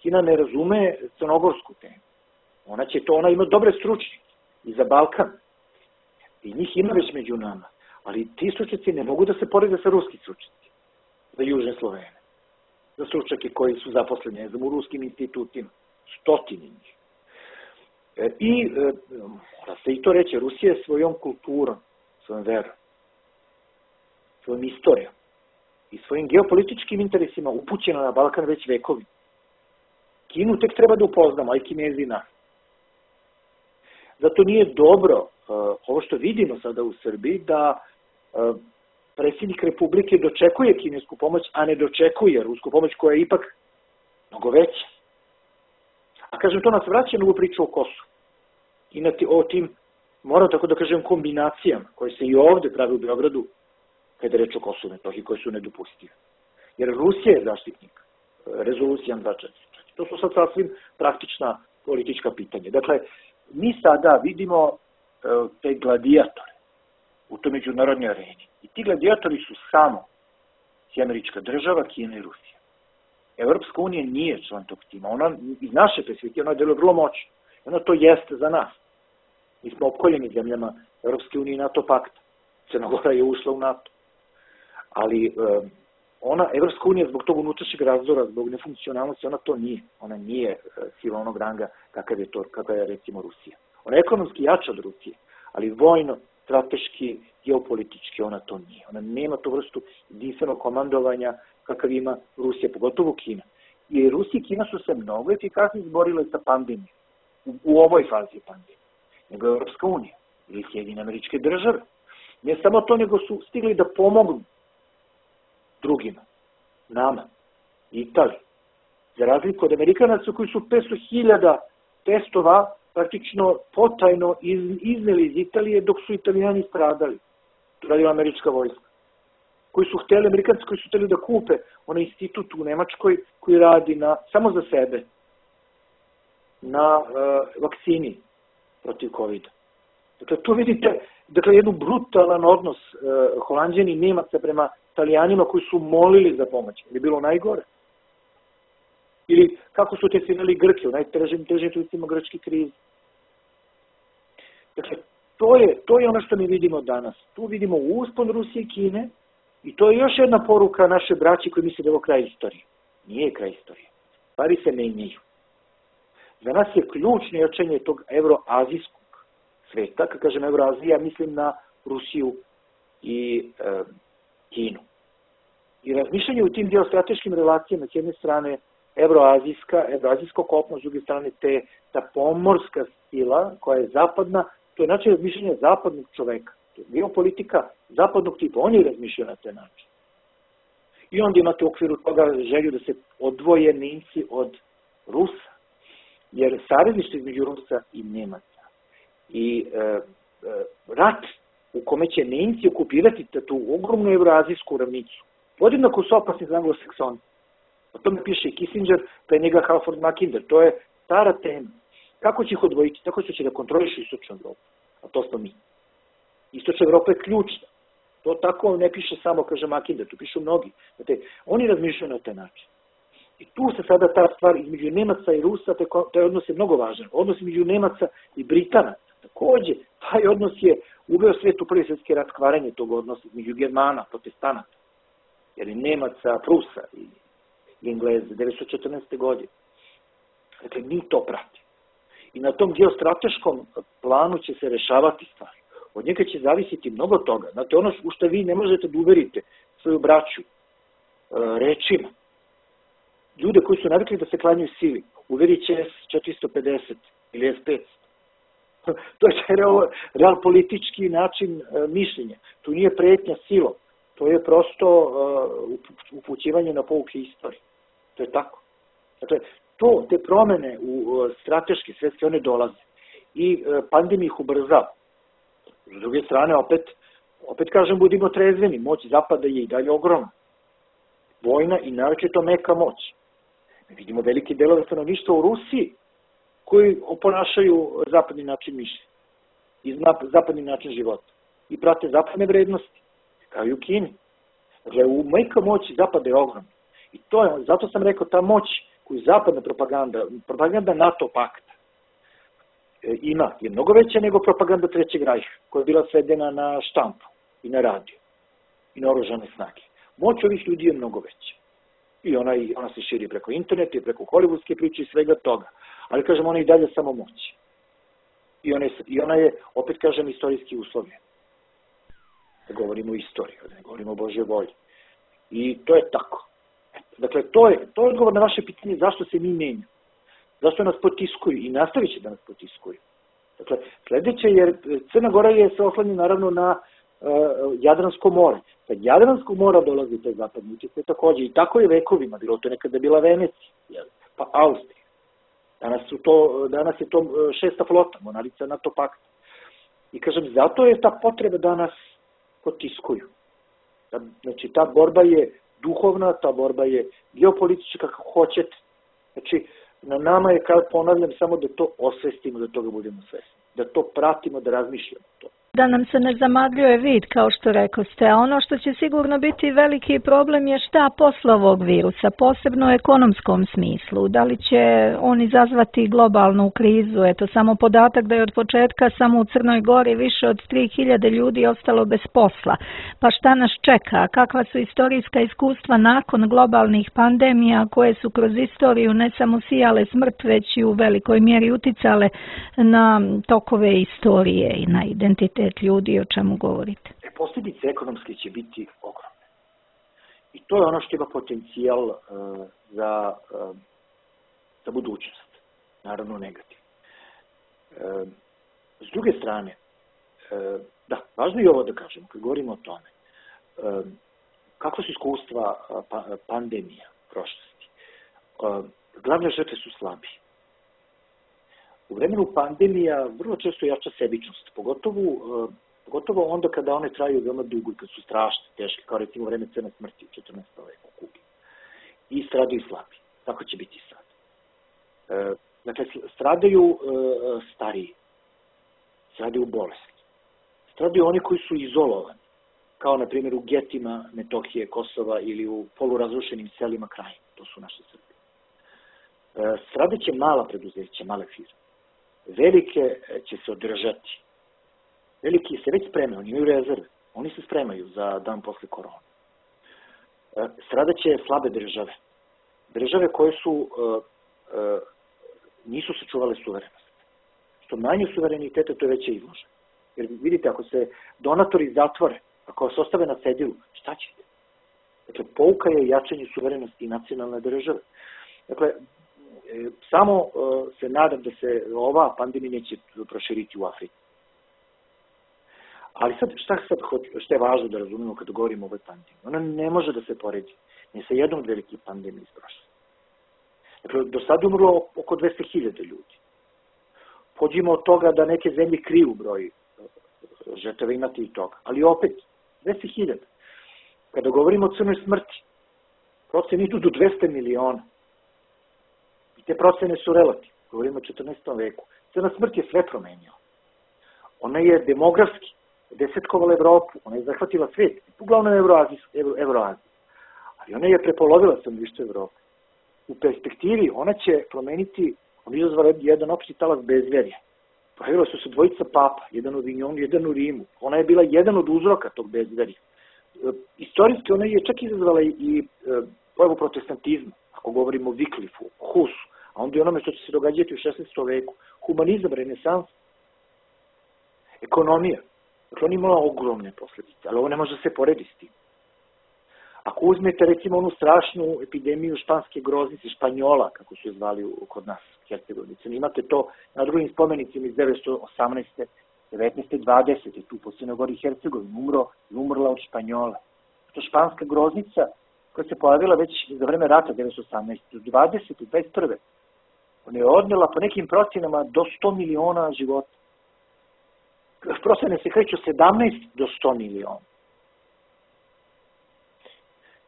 Kina ne razume crnogorsku temu. Ona ima dobre stručnjake i za Balkan. I njih ima već među nama. Ali ti stručnjaci ne mogu da se porede sa ruskim stručnjacima. Za južne Slovene. Za stručnjake koji su zaposleni, ne znam, u ruskim institutima. Stotini njih. I, mora se i to reći, Rusija je svojom kulturom, svojom verom, svojom istorijom i svojim geopolitičkim interesima upućena na Balkan već vekovi. Kinu tek treba da upoznamo, a i Kinezi i nas. Zato nije dobro ovo što vidimo sada u Srbiji, da predsjednik Republike dočekuje kinesku pomoć, a ne dočekuje rusku pomoć koja je ipak mnogo veća. A kažem, to nas vraća na ovu priču o Kosovu. I o tim, moram tako da kažem, kombinacijama koje se i ovde prave u Beogradu, kada je reč o Kosovu i Metohiji, koje su nedopustive. Jer Rusija je zaštitnik rezolucija 244. To su sad sasvim praktična politička pitanja. Dakle, mi sada vidimo te gladiatore u toj međunarodnoj areni. I ti gladijatori su samo američka država, Kina i Rusija. Evropska unija nije član tog tima. Ona, iz naše perspektive, ona deluje vrlo moćno. Ona to jeste za nas. Mi smo opkoljeni zemljama Evropske unije i NATO pakta. Crna Gora je ušla u NATO. Ali Evropska unija zbog tog unutrašnjeg razdora, zbog nefunkcionalnosti, ona to nije. Ona nije sila onog ranga kakav je recimo Rusija. Ona je ekonomski jača od Rusije, ali vojno, strateški, geopolitički ona to nije. Ona nema tu vrstu jedinstvenog komandovanja kakav ima Rusija, pogotovo Kina. I Rusija i Kina su se mnogo efikasnije izborile sa pandemijom, u ovoj fazi pandemije, nego Evropska unija ili Sjedinjene Američke Države. Ne samo to, nego su stigli da pomognu drugima, nama, Italiji. Za razliku od Amerikanaca koji su 500.000 testova praktično potajno izneli iz Italije dok su Italijani stradali. To radila američka vojska. Amerikanci koji su hteli da kupe onaj institut u Nemačkoj koji radi samo za sebe na vakcini protiv COVID-a. Dakle, tu vidite jednu brutalan odnos Holanđani i Nemaca prema Italijanima koji su molili za pomoć. Je bilo najgore. Ili kako su testirali Grke u najtežim trenucima grčke krize. Dakle, to je ono što mi vidimo danas. Tu vidimo uspon Rusije i Kine i to je još jedna poruka naše braći koji misle da je ovo kraj istorije. Nije kraj istorije. Stvari se menjaju. Za nas je ključno jačanje tog evroazijskog sveta. Kad kažem Evroazija, mislim na Rusiju i Kinu. I razmišljanje u tim geostrateškim relacijama, s jedne strane evroazijsko kopno, s druge strane ta pomorska sila koja je zapadna, to je način razmišljanja zapadnog čoveka. To je geopolitika zapadnog tipa, oni razmišljaju na taj način. I onda imate u okviru toga želju da se odvoje Nemci od Rusa, jer savezništvo između Rusa i Nemaca i rat u kome će Nemci okupirati tu ogromnu evroazijsku ravnicu, podjednako su opasni za anglosaksoni. O tome piše i Kissinger, pre njega Halford Mackinder. To je stara tema. Kako će ih odvojiti? Tako što će da kontrolišu Istočnu Evropu. A to smo mi. Istočna Evropa je ključna. To tako ne piše samo, kaže Mackinder, tu pišu mnogi. Znate, oni razmišljaju na taj način. I tu se sada ta stvar između Nemaca i Rusa, taj odnos je mnogo važan. Odnos između Nemaca i Britanaca. Takođe, taj odnos je uveo svet u Prvi svjetski rat, kvarenje tog odnosa između Germana, protestanata, jer i Nemaca, Prusa i Engleze, 1914. godine. Dakle, mi to pratimo. I na tom geostrateškom planu će se rešavati stvari. Od njega će zavisiti mnogo toga. Znate, ono u što vi ne možete da uverite svoju braću rečima. Ljude koji su navikli da se klanjaju sili, uverit će S-450 ili S-500. To je real politički način mišljenja. Tu nije pretnja silom. To je prosto upućivanje na pouke istorije. To je tako. Dakle, te promene u strateške svetske, one dolaze. I pandemija ih ubrzava. S druge strane, opet kažem, budimo trezveni. Moć Zapada je i dalje ogromna. Vojna i naročito meka moć. Mi vidimo velike delove stanovništva u Rusiji koji oponašaju zapadni način mišljenja i zapadni način života. I prate zapadne vrednosti, kao i u Kini. Dakle, meka moć Zapada je ogromna. I zato sam rekao, ta moć koju zapadna propaganda NATO pakta ima, je mnogo veća nego propaganda Trećeg rajha, koja je bila svedena na štampu i na radio i na oružane snage. Moć ovih ljudi je mnogo veća. I ona se širi preko interneta i preko hollywoodske priče i svega toga. Ali, kažem, ona je i dalje samo moć. I ona je, opet kažem, istorijski uslovljena. Da govorimo o istoriji, da ne govorimo o Božjoj volji. I to je tako. Dakle, to je odgovor na vaše pitanje zašto se mi menjamo. Zašto nas potiskuju i nastavit će da nas potiskuju. Dakle, sledeće, jer Crna Gora se oslanja naravno na Jadransko more. Kad Jadransko mora dolazi taj zapadni utjecaj takođe. I tako je vekovima bilo. To je nekada bila Venecija, pa Austrija. Danas je to 6. flota, mornarica NATO pakta. I kažem, zato je ta potreba da nas potiskuju. Znači, ta borba je duhovna, ta borba je geopolitička, kako hoćete. Znači, na nama je, kao ponavljam, samo da to osvestimo, da toga budemo svesni. Da to pratimo, da razmišljamo to. Da nam se ne zamagljuje vid, kao što rekoste, a ono što će sigurno biti veliki problem je šta posle ovog virusa, posebno u ekonomskom smislu. Da li će on izazvati globalnu krizu? Eto, samo podatak da je od početka samo u Crnoj Gori više od 3000 ljudi ostalo bez posla. Pa šta nas čeka? Kakva su istorijska iskustva nakon globalnih pandemija koje su kroz istoriju ne samo sijale smrt, već i u velikoj mjeri uticale na tokove istorije i na identitet ljudi, o čemu govorite? Posljedice ekonomske će biti ogromne. I to je ono što ima potencijal za budućnost. Naravno negativno. S druge strane, da, važno je ovo da kažemo, kad govorimo o tome, kako su iskustva pandemija prošlosti. Glavne žrtve su slabi. U vremenu pandemija vrlo često jača sebičnost, pogotovo onda kada one traju veoma dugo i kad su strašne, teške, kao recimo vreme crne smrti u 14. veku u Kubi. I stradaju slabi. Tako će biti sad. Dakle, stradaju stariji. stradaju bolesti. Stradaju oni koji su izolovani, kao na primjer u getima Metohije, Kosova ili u polurazrušenim selima Krajine. To su naše Srbije. Stradaće mala preduzeća, male firme. Velike će se održati. Veliki se već spremaju, oni imaju rezerve. Oni se spremaju za dan posle korona. Stradaće slabe države. Države koje nisu sačuvale suverenost. Što manje suvereniteta, to je veća izloža. Jer vidite, ako se donatori zatvore, ako vas ostave na cedilu, šta ćete? Dakle, pouka je jačanje suverenosti nacionalne države. Dakle, samo se nadam da se ova pandemija neće proširiti u Africi. Ali sad, šta je važno da razumemo kada govorimo o ovoj pandemiji? Ona ne može da se poredi ni sa jednom od velikih pandemija iz prošlosti. Dakle, do sada umrlo oko 200.000 ljudi. Pođimo od toga da neke zemlje kriju broj žrtava, imate i toga. Ali opet, 200.000. Kada govorimo o crnoj smrti, procene idu do 200 miliona. I te procene su relativne. Govorimo o 14. veku. Crna smrt je sve promenila. Ona je demografski desetkovala Evropu, ona je zahvatila svet, uglavnom Evroaziju. Ali ona je prepolovila stanovništvo Evrope. U perspektivi ona će promeniti, ona izazvala jedan opšti talas bezverja. Pojavila su se dvojica papa, jedan u Avignonu, jedan u Rimu. Ona je bila jedan od uzroka tog bezverja. Istorijski ona je čak izazvala i pojavu protestantizma, ako govorimo o Wycliffu, Husu, a onda i onome što će se događati u 16. veku. Humanizam, renesans, ekonomija. Dakle, on imala ogromne posljedice, ali ovo ne može se porediti s tim. Ako uzmete, recimo, onu strašnu epidemiju španske groznice, Španjola, kako su je zvali kod nas, Hercegovinice, imate to na drugim spomenicima iz 1918. 19. 20. tu po Crnoj Gori Hercegovini umrla od Španjola. To španska groznica koja se pojavila već za vreme rata 1918. 20. 21. Ona je odnela po nekim procjenama do 100 miliona života. Procene se kreću 17 do 100 miliona.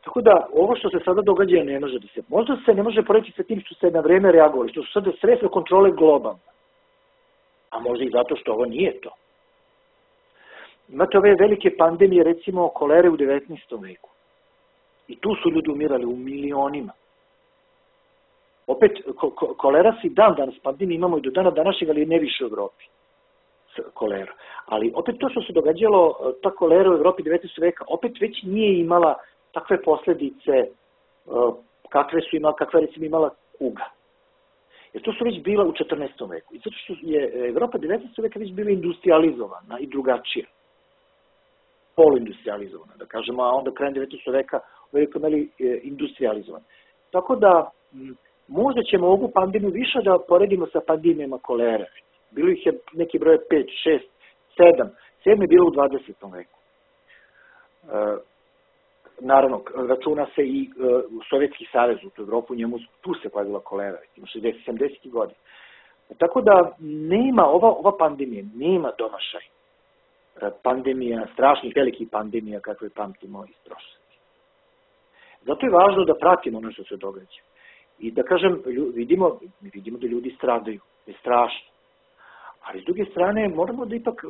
Tako da, ovo što se sada događa ne može da se... Možda se ne može poreći sa tim što se na vreme reagovali, što su sada sredstva kontrole globalne. A možda i zato što ovo nije to. Imate ove velike pandemije, recimo kolere u 19. veku. I tu su ljudi umirali u milionima. Opet, kolera se i dan danas pandemije imamo i do dana današnjeg, ali ne više u Evropi. Kolera. Ali opet to što se događalo, ta kolera u Evropi 19. veka, opet već nije imala takve posledice kakve recimo imala kuga. Jer to su već bila u 14. veku. I zato što je Evropa 19. veka već bila industrializovana i drugačija. Poluindustrializovana, da kažemo, a onda krajem 19. veka veliko imali industrializovana. Tako da, možda ćemo ovu pandemiju više da poredimo sa pandemijama kolere. Bilo ih je neki broj 5, 6, 7. 7 je bilo u 20. veku. Naravno, računa se i Sovjetski savez u Evropu, tu se pojavila kolera, 60-70 godina. Tako da ova pandemija nema domašaj. Pandemija, strašnih velikih pandemija kakve pamtimo iz prošlosti. Zato je važno da pratimo ono što se događa. I da kažem, vidimo da ljudi stradaju, je strašno. Ali s druge strane, moramo da ipak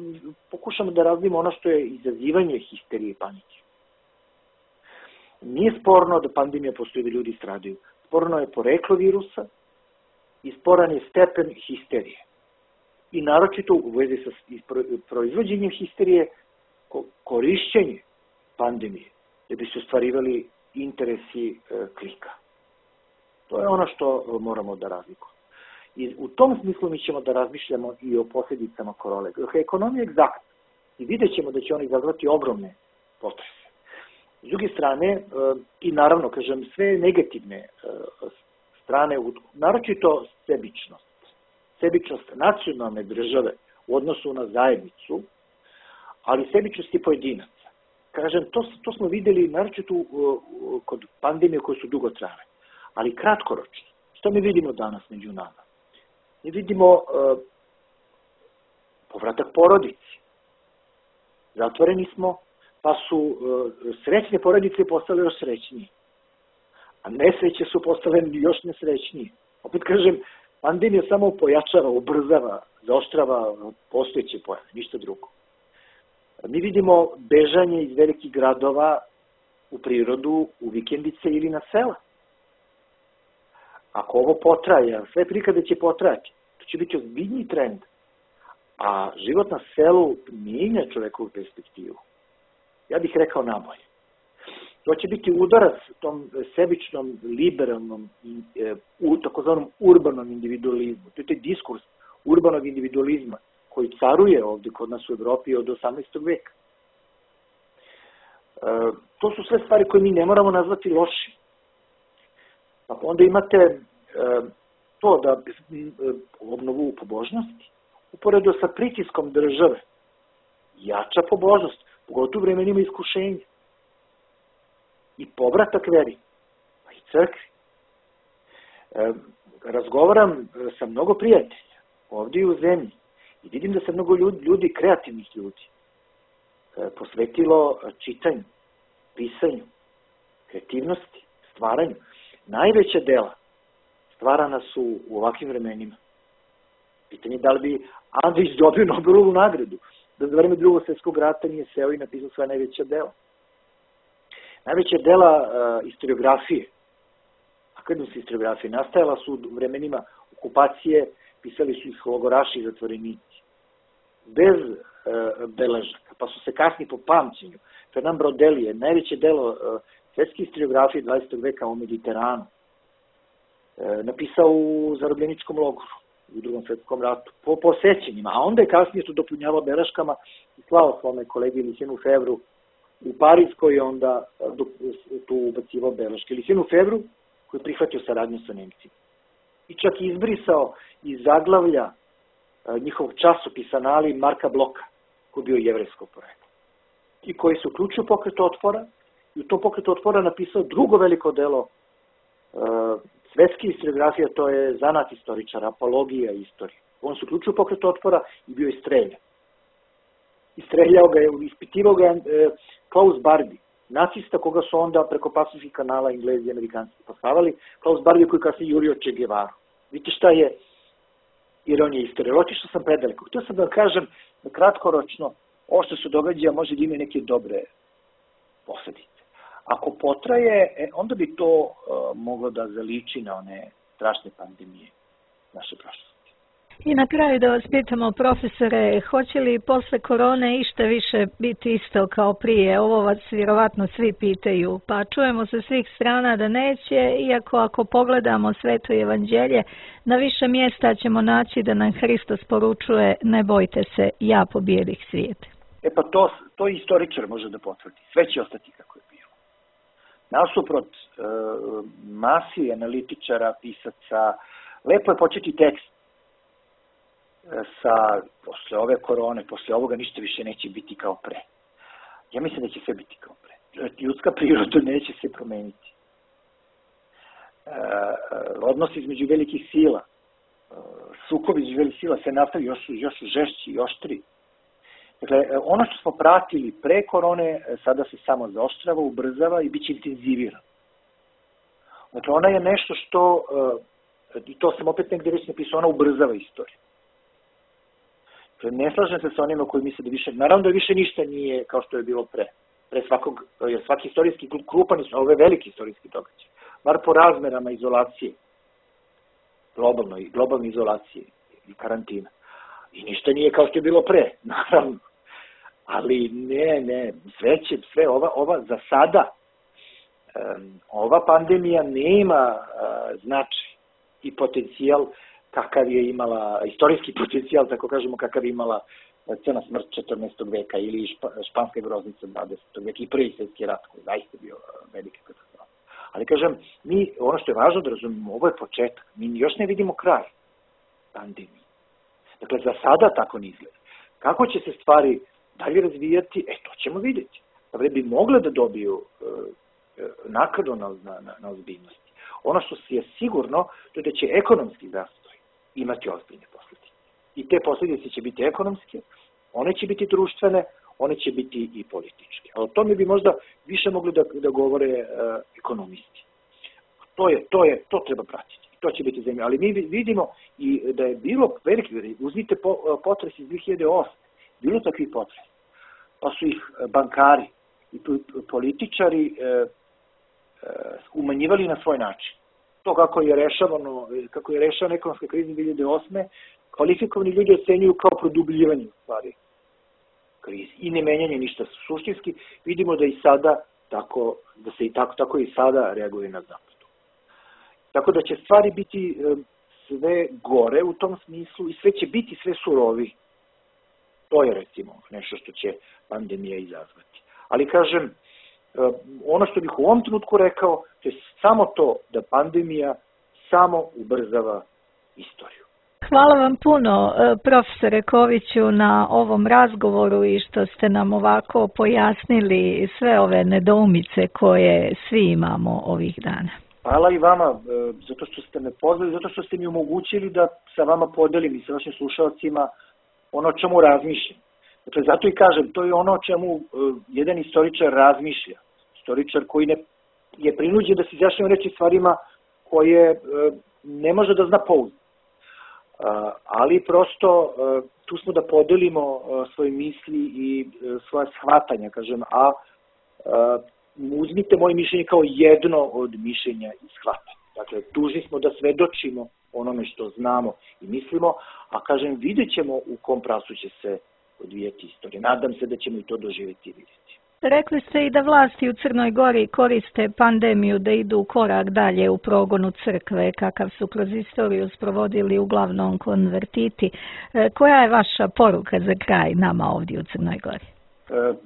pokušamo da razvijemo ono što je izazivanje histerije i panike. Nije sporno da pandemija postoji da ljudi stradaju. Sporno je poreklo virusa i sporan je stepen histerije. I naročito u vezi sa proizvođenjem histerije, korišćenje pandemije, da bi se ostvarivali interesi klika. To je ono što moramo da razlikujemo. I u tom smislu mi ćemo da razmišljamo i o posljedicama korone. Ekonomija je egzaktna i vidjet ćemo da će oni izazvati ogromne potrese. S druge strane, i naravno, kažem, sve negativne strane, naročito sebičnost. Sebičnost nacionalne države u odnosu na zajednicu, ali sebičnost i pojedinaca. Kažem, to smo videli naročito kod pandemije koje su dugo trajale, ali kratkoročno. Što mi vidimo danas među nama? Mi vidimo povratak porodici. Zatvoreni smo, pa su srećne porodice postale još srećnije. A nesreće su postale još nesrećnije. Opet kažem, pandemija samo pojačava, ubrzava zaoštrava postojeće pojave, ništa drugo. Mi vidimo bežanje iz velikih gradova u prirodu, u vikendice ili na sela. Ako ovo potraje, sve prikade će potrajati, to će biti ozbiljniji trend. A život na selu mijenja čovekovu perspektivu. Ja bih rekao nabolje. To će biti udarac tom sebičnom, liberalnom, takozvanom urbanom individualizmu. To je taj diskurs urbanog individualizma koji caruje ovde kod nas u Evropi od 18. veka. To su sve stvari koje mi ne moramo nazvati lošim. Pa onda imate to da obnovu pobožnosti, uporedo sa pritiskom države, jača pobožnost, pogotovo u vremenima iskušenja. I povratak veri, pa i crkvi. Razgovaram sa mnogo prijatelja ovdje i u zemlji i vidim da se mnogo ljudi, kreativnih ljudi, posvetilo čitanju, pisanju, kreativnosti, stvaranju. Najveća dela stvarana su u ovakvim vremenima. Pitanje je da li bi Andrić dobio Nobelovu nagradu, da za vreme Drugog svjetskog rata nije seo i napisao svoja najveća dela. Najveća dela historiografije, akademske historiografije, nastajala su u vremenima okupacije, pisali su ih logoraši i zatvorenici. Bez beležaka, pa su se kasnije po pamćenju. Fernand Braudel je najveće delo svetske historiografije 20. veka o Mediteranu. Napisao u zarobljeničkom logoru u Drugom svjetskom ratu, po sećenjima, a onda je kasnije to dopunjavao beleškama i slao svome kolegi Lucien Febvru u Pariz, koji je onda tu ubacivao beleške. Lucien Febvru, koji je prihvatio saradnju sa Nemcima. I čak izbrisao iz zaglavlja njihovog časopisa Anali Marka Bloka, koji je bio jevrejsko poreklo. I koji se uključio u pokret otpora i u tom pokretu otpora napisao drugo veliko delo svetske historiografije, to je zanat istoričara, apologija istorije. On se uključio u pokret otpora i bio je streljan. Istreljao ga je, ispitivao ga je Klaus Barbie, nacista koga su onda preko Pacific kanala Englezi i Amerikanci postavali, Klaus Barbie koji kasnije jurio Che Guevaru. Vidite šta je ironija istorije. Otišao sam predaleko. Htio sam da vam kažem da kratkoročno ovo što se događa može da ima neke dobre posledice. Ako potraje, onda bi to moglo da zaliči na one strašne pandemije naše prošlosti. I na kraju da vas pitamo, profesore, hoće li posle korone išta više biti isto kao prije? Ovo vas vjerovatno svi pitaju, pa čujemo sa svih strana da neće, iako ako pogledamo Sveto evanđelje, na više mjesta ćemo naći da nam Hristos poručuje: ne bojte se, ja pobijedih svijet. Pa to istoričar može da potvrdi. Sve će ostati kako je bilo. Nasuprot masi analitičara, pisaca, lepo je početi tekst posle ove korone, posle ovoga ništa više neće biti kao pre. Ja mislim da će sve biti kao pre. Ljudska priroda neće se promeniti. Odnos između velikih sila, sukovi između velikih sila se nastavi još žešći i oštri. Dakle, ono što smo pratili pre korone, sada se samo zaoštrava, ubrzava i bit će intenzivirano. Dakle, ona je nešto što, i to sam opet negdje već napisao, ona ubrzava istoriju. Dakle, ne slažem se sa onima koji misle da više, naravno da više ništa nije kao što je bilo pre. Pre svakog, jer svaki istorijski krupan, ovo je veliki istorijski događaj. Bar po razmerama izolacije, globalne izolacije i karantina. I ništa nije kao što je bilo pre, naravno. Ali ne, sve ova za sada, ova pandemija nema značaj i potencijal kakav je imala, istorijski potencijal, tako kažemo, kakav je imala Crna smrt 14. veka ili Španska groznica 20. veka i Prvi svjetski rat, koji je zaista bio velika katastrofa. Ali kažem, ono što je važno da razumimo, ovo je početak, mi još ne vidimo kraj pandemije. Dakle, za sada tako ne izgleda. Kako će se stvari dalje razvijati, to ćemo vidjeti. Da bi mogle da dobiju nakladu na ozbiljnosti. Ono što je sigurno, to je da će ekonomski zastoj imati ozbiljne posljedice. I te posljedice će biti ekonomske, one će biti društvene, one će biti i političke. A o tome bi možda više mogli da govore ekonomisti. To treba pratiti. to će biti zanimljivo. Ali mi vidimo i da je bilo veliki, uzmite potres iz 2008. Bilo takvih potresa. Pa su ih bankari i političari umanjivali na svoj način. To kako je rešavana ekonomska kriza 2008. Kvalifikovani ljudi ocenjuju kao produbljivanje u stvari krizi i ne menjanje ništa suštinski. Vidimo da i sada da se tako i sada reaguje na zapadu. Tako da će stvari biti sve gore u tom smislu i sve će biti sve surovi. To je recimo nešto što će pandemija izazvati. Ali kažem, ono što bih u ovom trenutku rekao, to je samo to da pandemija samo ubrzava istoriju. Hvala vam puno, profesore Koviću, na ovom razgovoru i što ste nam ovako pojasnili sve ove nedoumice koje svi imamo ovih dana. Hvala i vama, zato što ste me pozvali, zato što ste mi omogućili da sa vama podelim i sa vašim slušalcima ono o čemu razmišljam. Dakle, zato i kažem, to je ono o čemu jedan istoričar razmišlja. Istoričar koji je prinuđen da se izjašnjava reći stvarima koje ne može da zna pouzdano. Ali prosto tu smo da podelimo svoje misli i svoje shvatanja, kažem, a uzmite moje mišljenje kao jedno od mišljenja i shvatanja. Dakle, dužni smo da svedočimo onome što znamo i mislimo, a kažem, vidjet ćemo u kom pravcu će se odvijati istorija. Nadam se da ćemo i to doživjeti i vidjeti. Rekli ste i da vlasti u Crnoj Gori koriste pandemiju da idu korak dalje u progonu crkve, kakav su kroz istoriju sprovodili uglavnom konvertiti. Koja je vaša poruka za kraj nama ovdje u Crnoj Gori?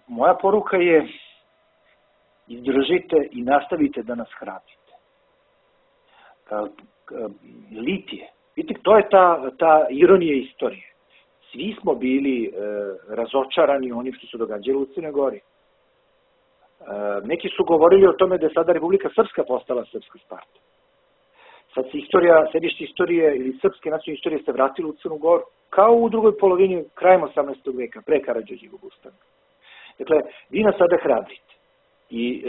Moja poruka je izdržite i nastavite da nas hrabrite. Litije. Vidite, to je ta ironija istorije. Svi smo bili razočarani onim što se događalo u Crnoj Gori. Neki su govorili o tome da je sada Republika Srpska postala srpska Sparta. Sad se sedište istorije ili srpske nacionalne istorije se vratilo u Crnu Goru, kao u drugoj polovini, krajem 18. veka, pre Karađorđevog ustanka. Dakle, vi nas sada hrabrite i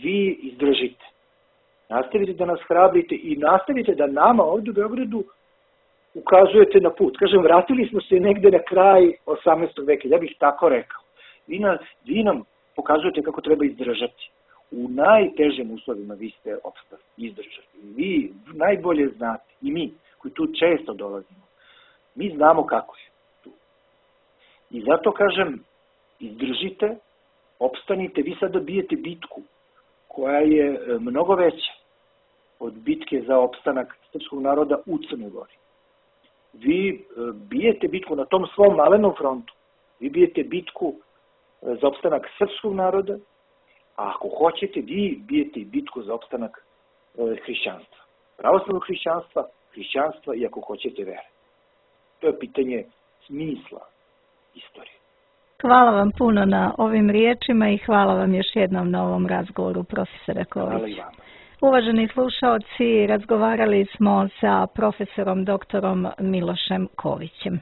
vi izdržite. Nastavite da nas hrabrite i nastavite da nama ovdje u Beogradu ukazujete na put. Kažem, vratili smo se negde na kraj 18. veka, ja bih tako rekao. Vi nam pokazujete kako treba izdržati. U najtežim uslovima vi ste opstali, izdržali. Vi najbolje znate, i mi, koji tu često dolazimo, mi znamo kako je tu. I zato kažem, izdržite, opstanite, vi sada bijete bitku koja je mnogo veća od bitke za opstanak srpskog naroda u Crnoj Gori. Vi bijete bitku na tom svom malenom frontu. Vi bijete bitku za opstanak srpskog naroda, a ako hoćete, vi bijete bitku za opstanak hrišćanstva. Pravoslavnog hrišćanstva i ako hoćete vere. To je pitanje smisla istorije. Hvala vam puno na ovim riječima i hvala vam još jednom na ovom razgovoru, profesore Ković. Hvala i vama. Uvaženi slušaoci, razgovarali smo sa profesorom doktorom Milošem Kovićem.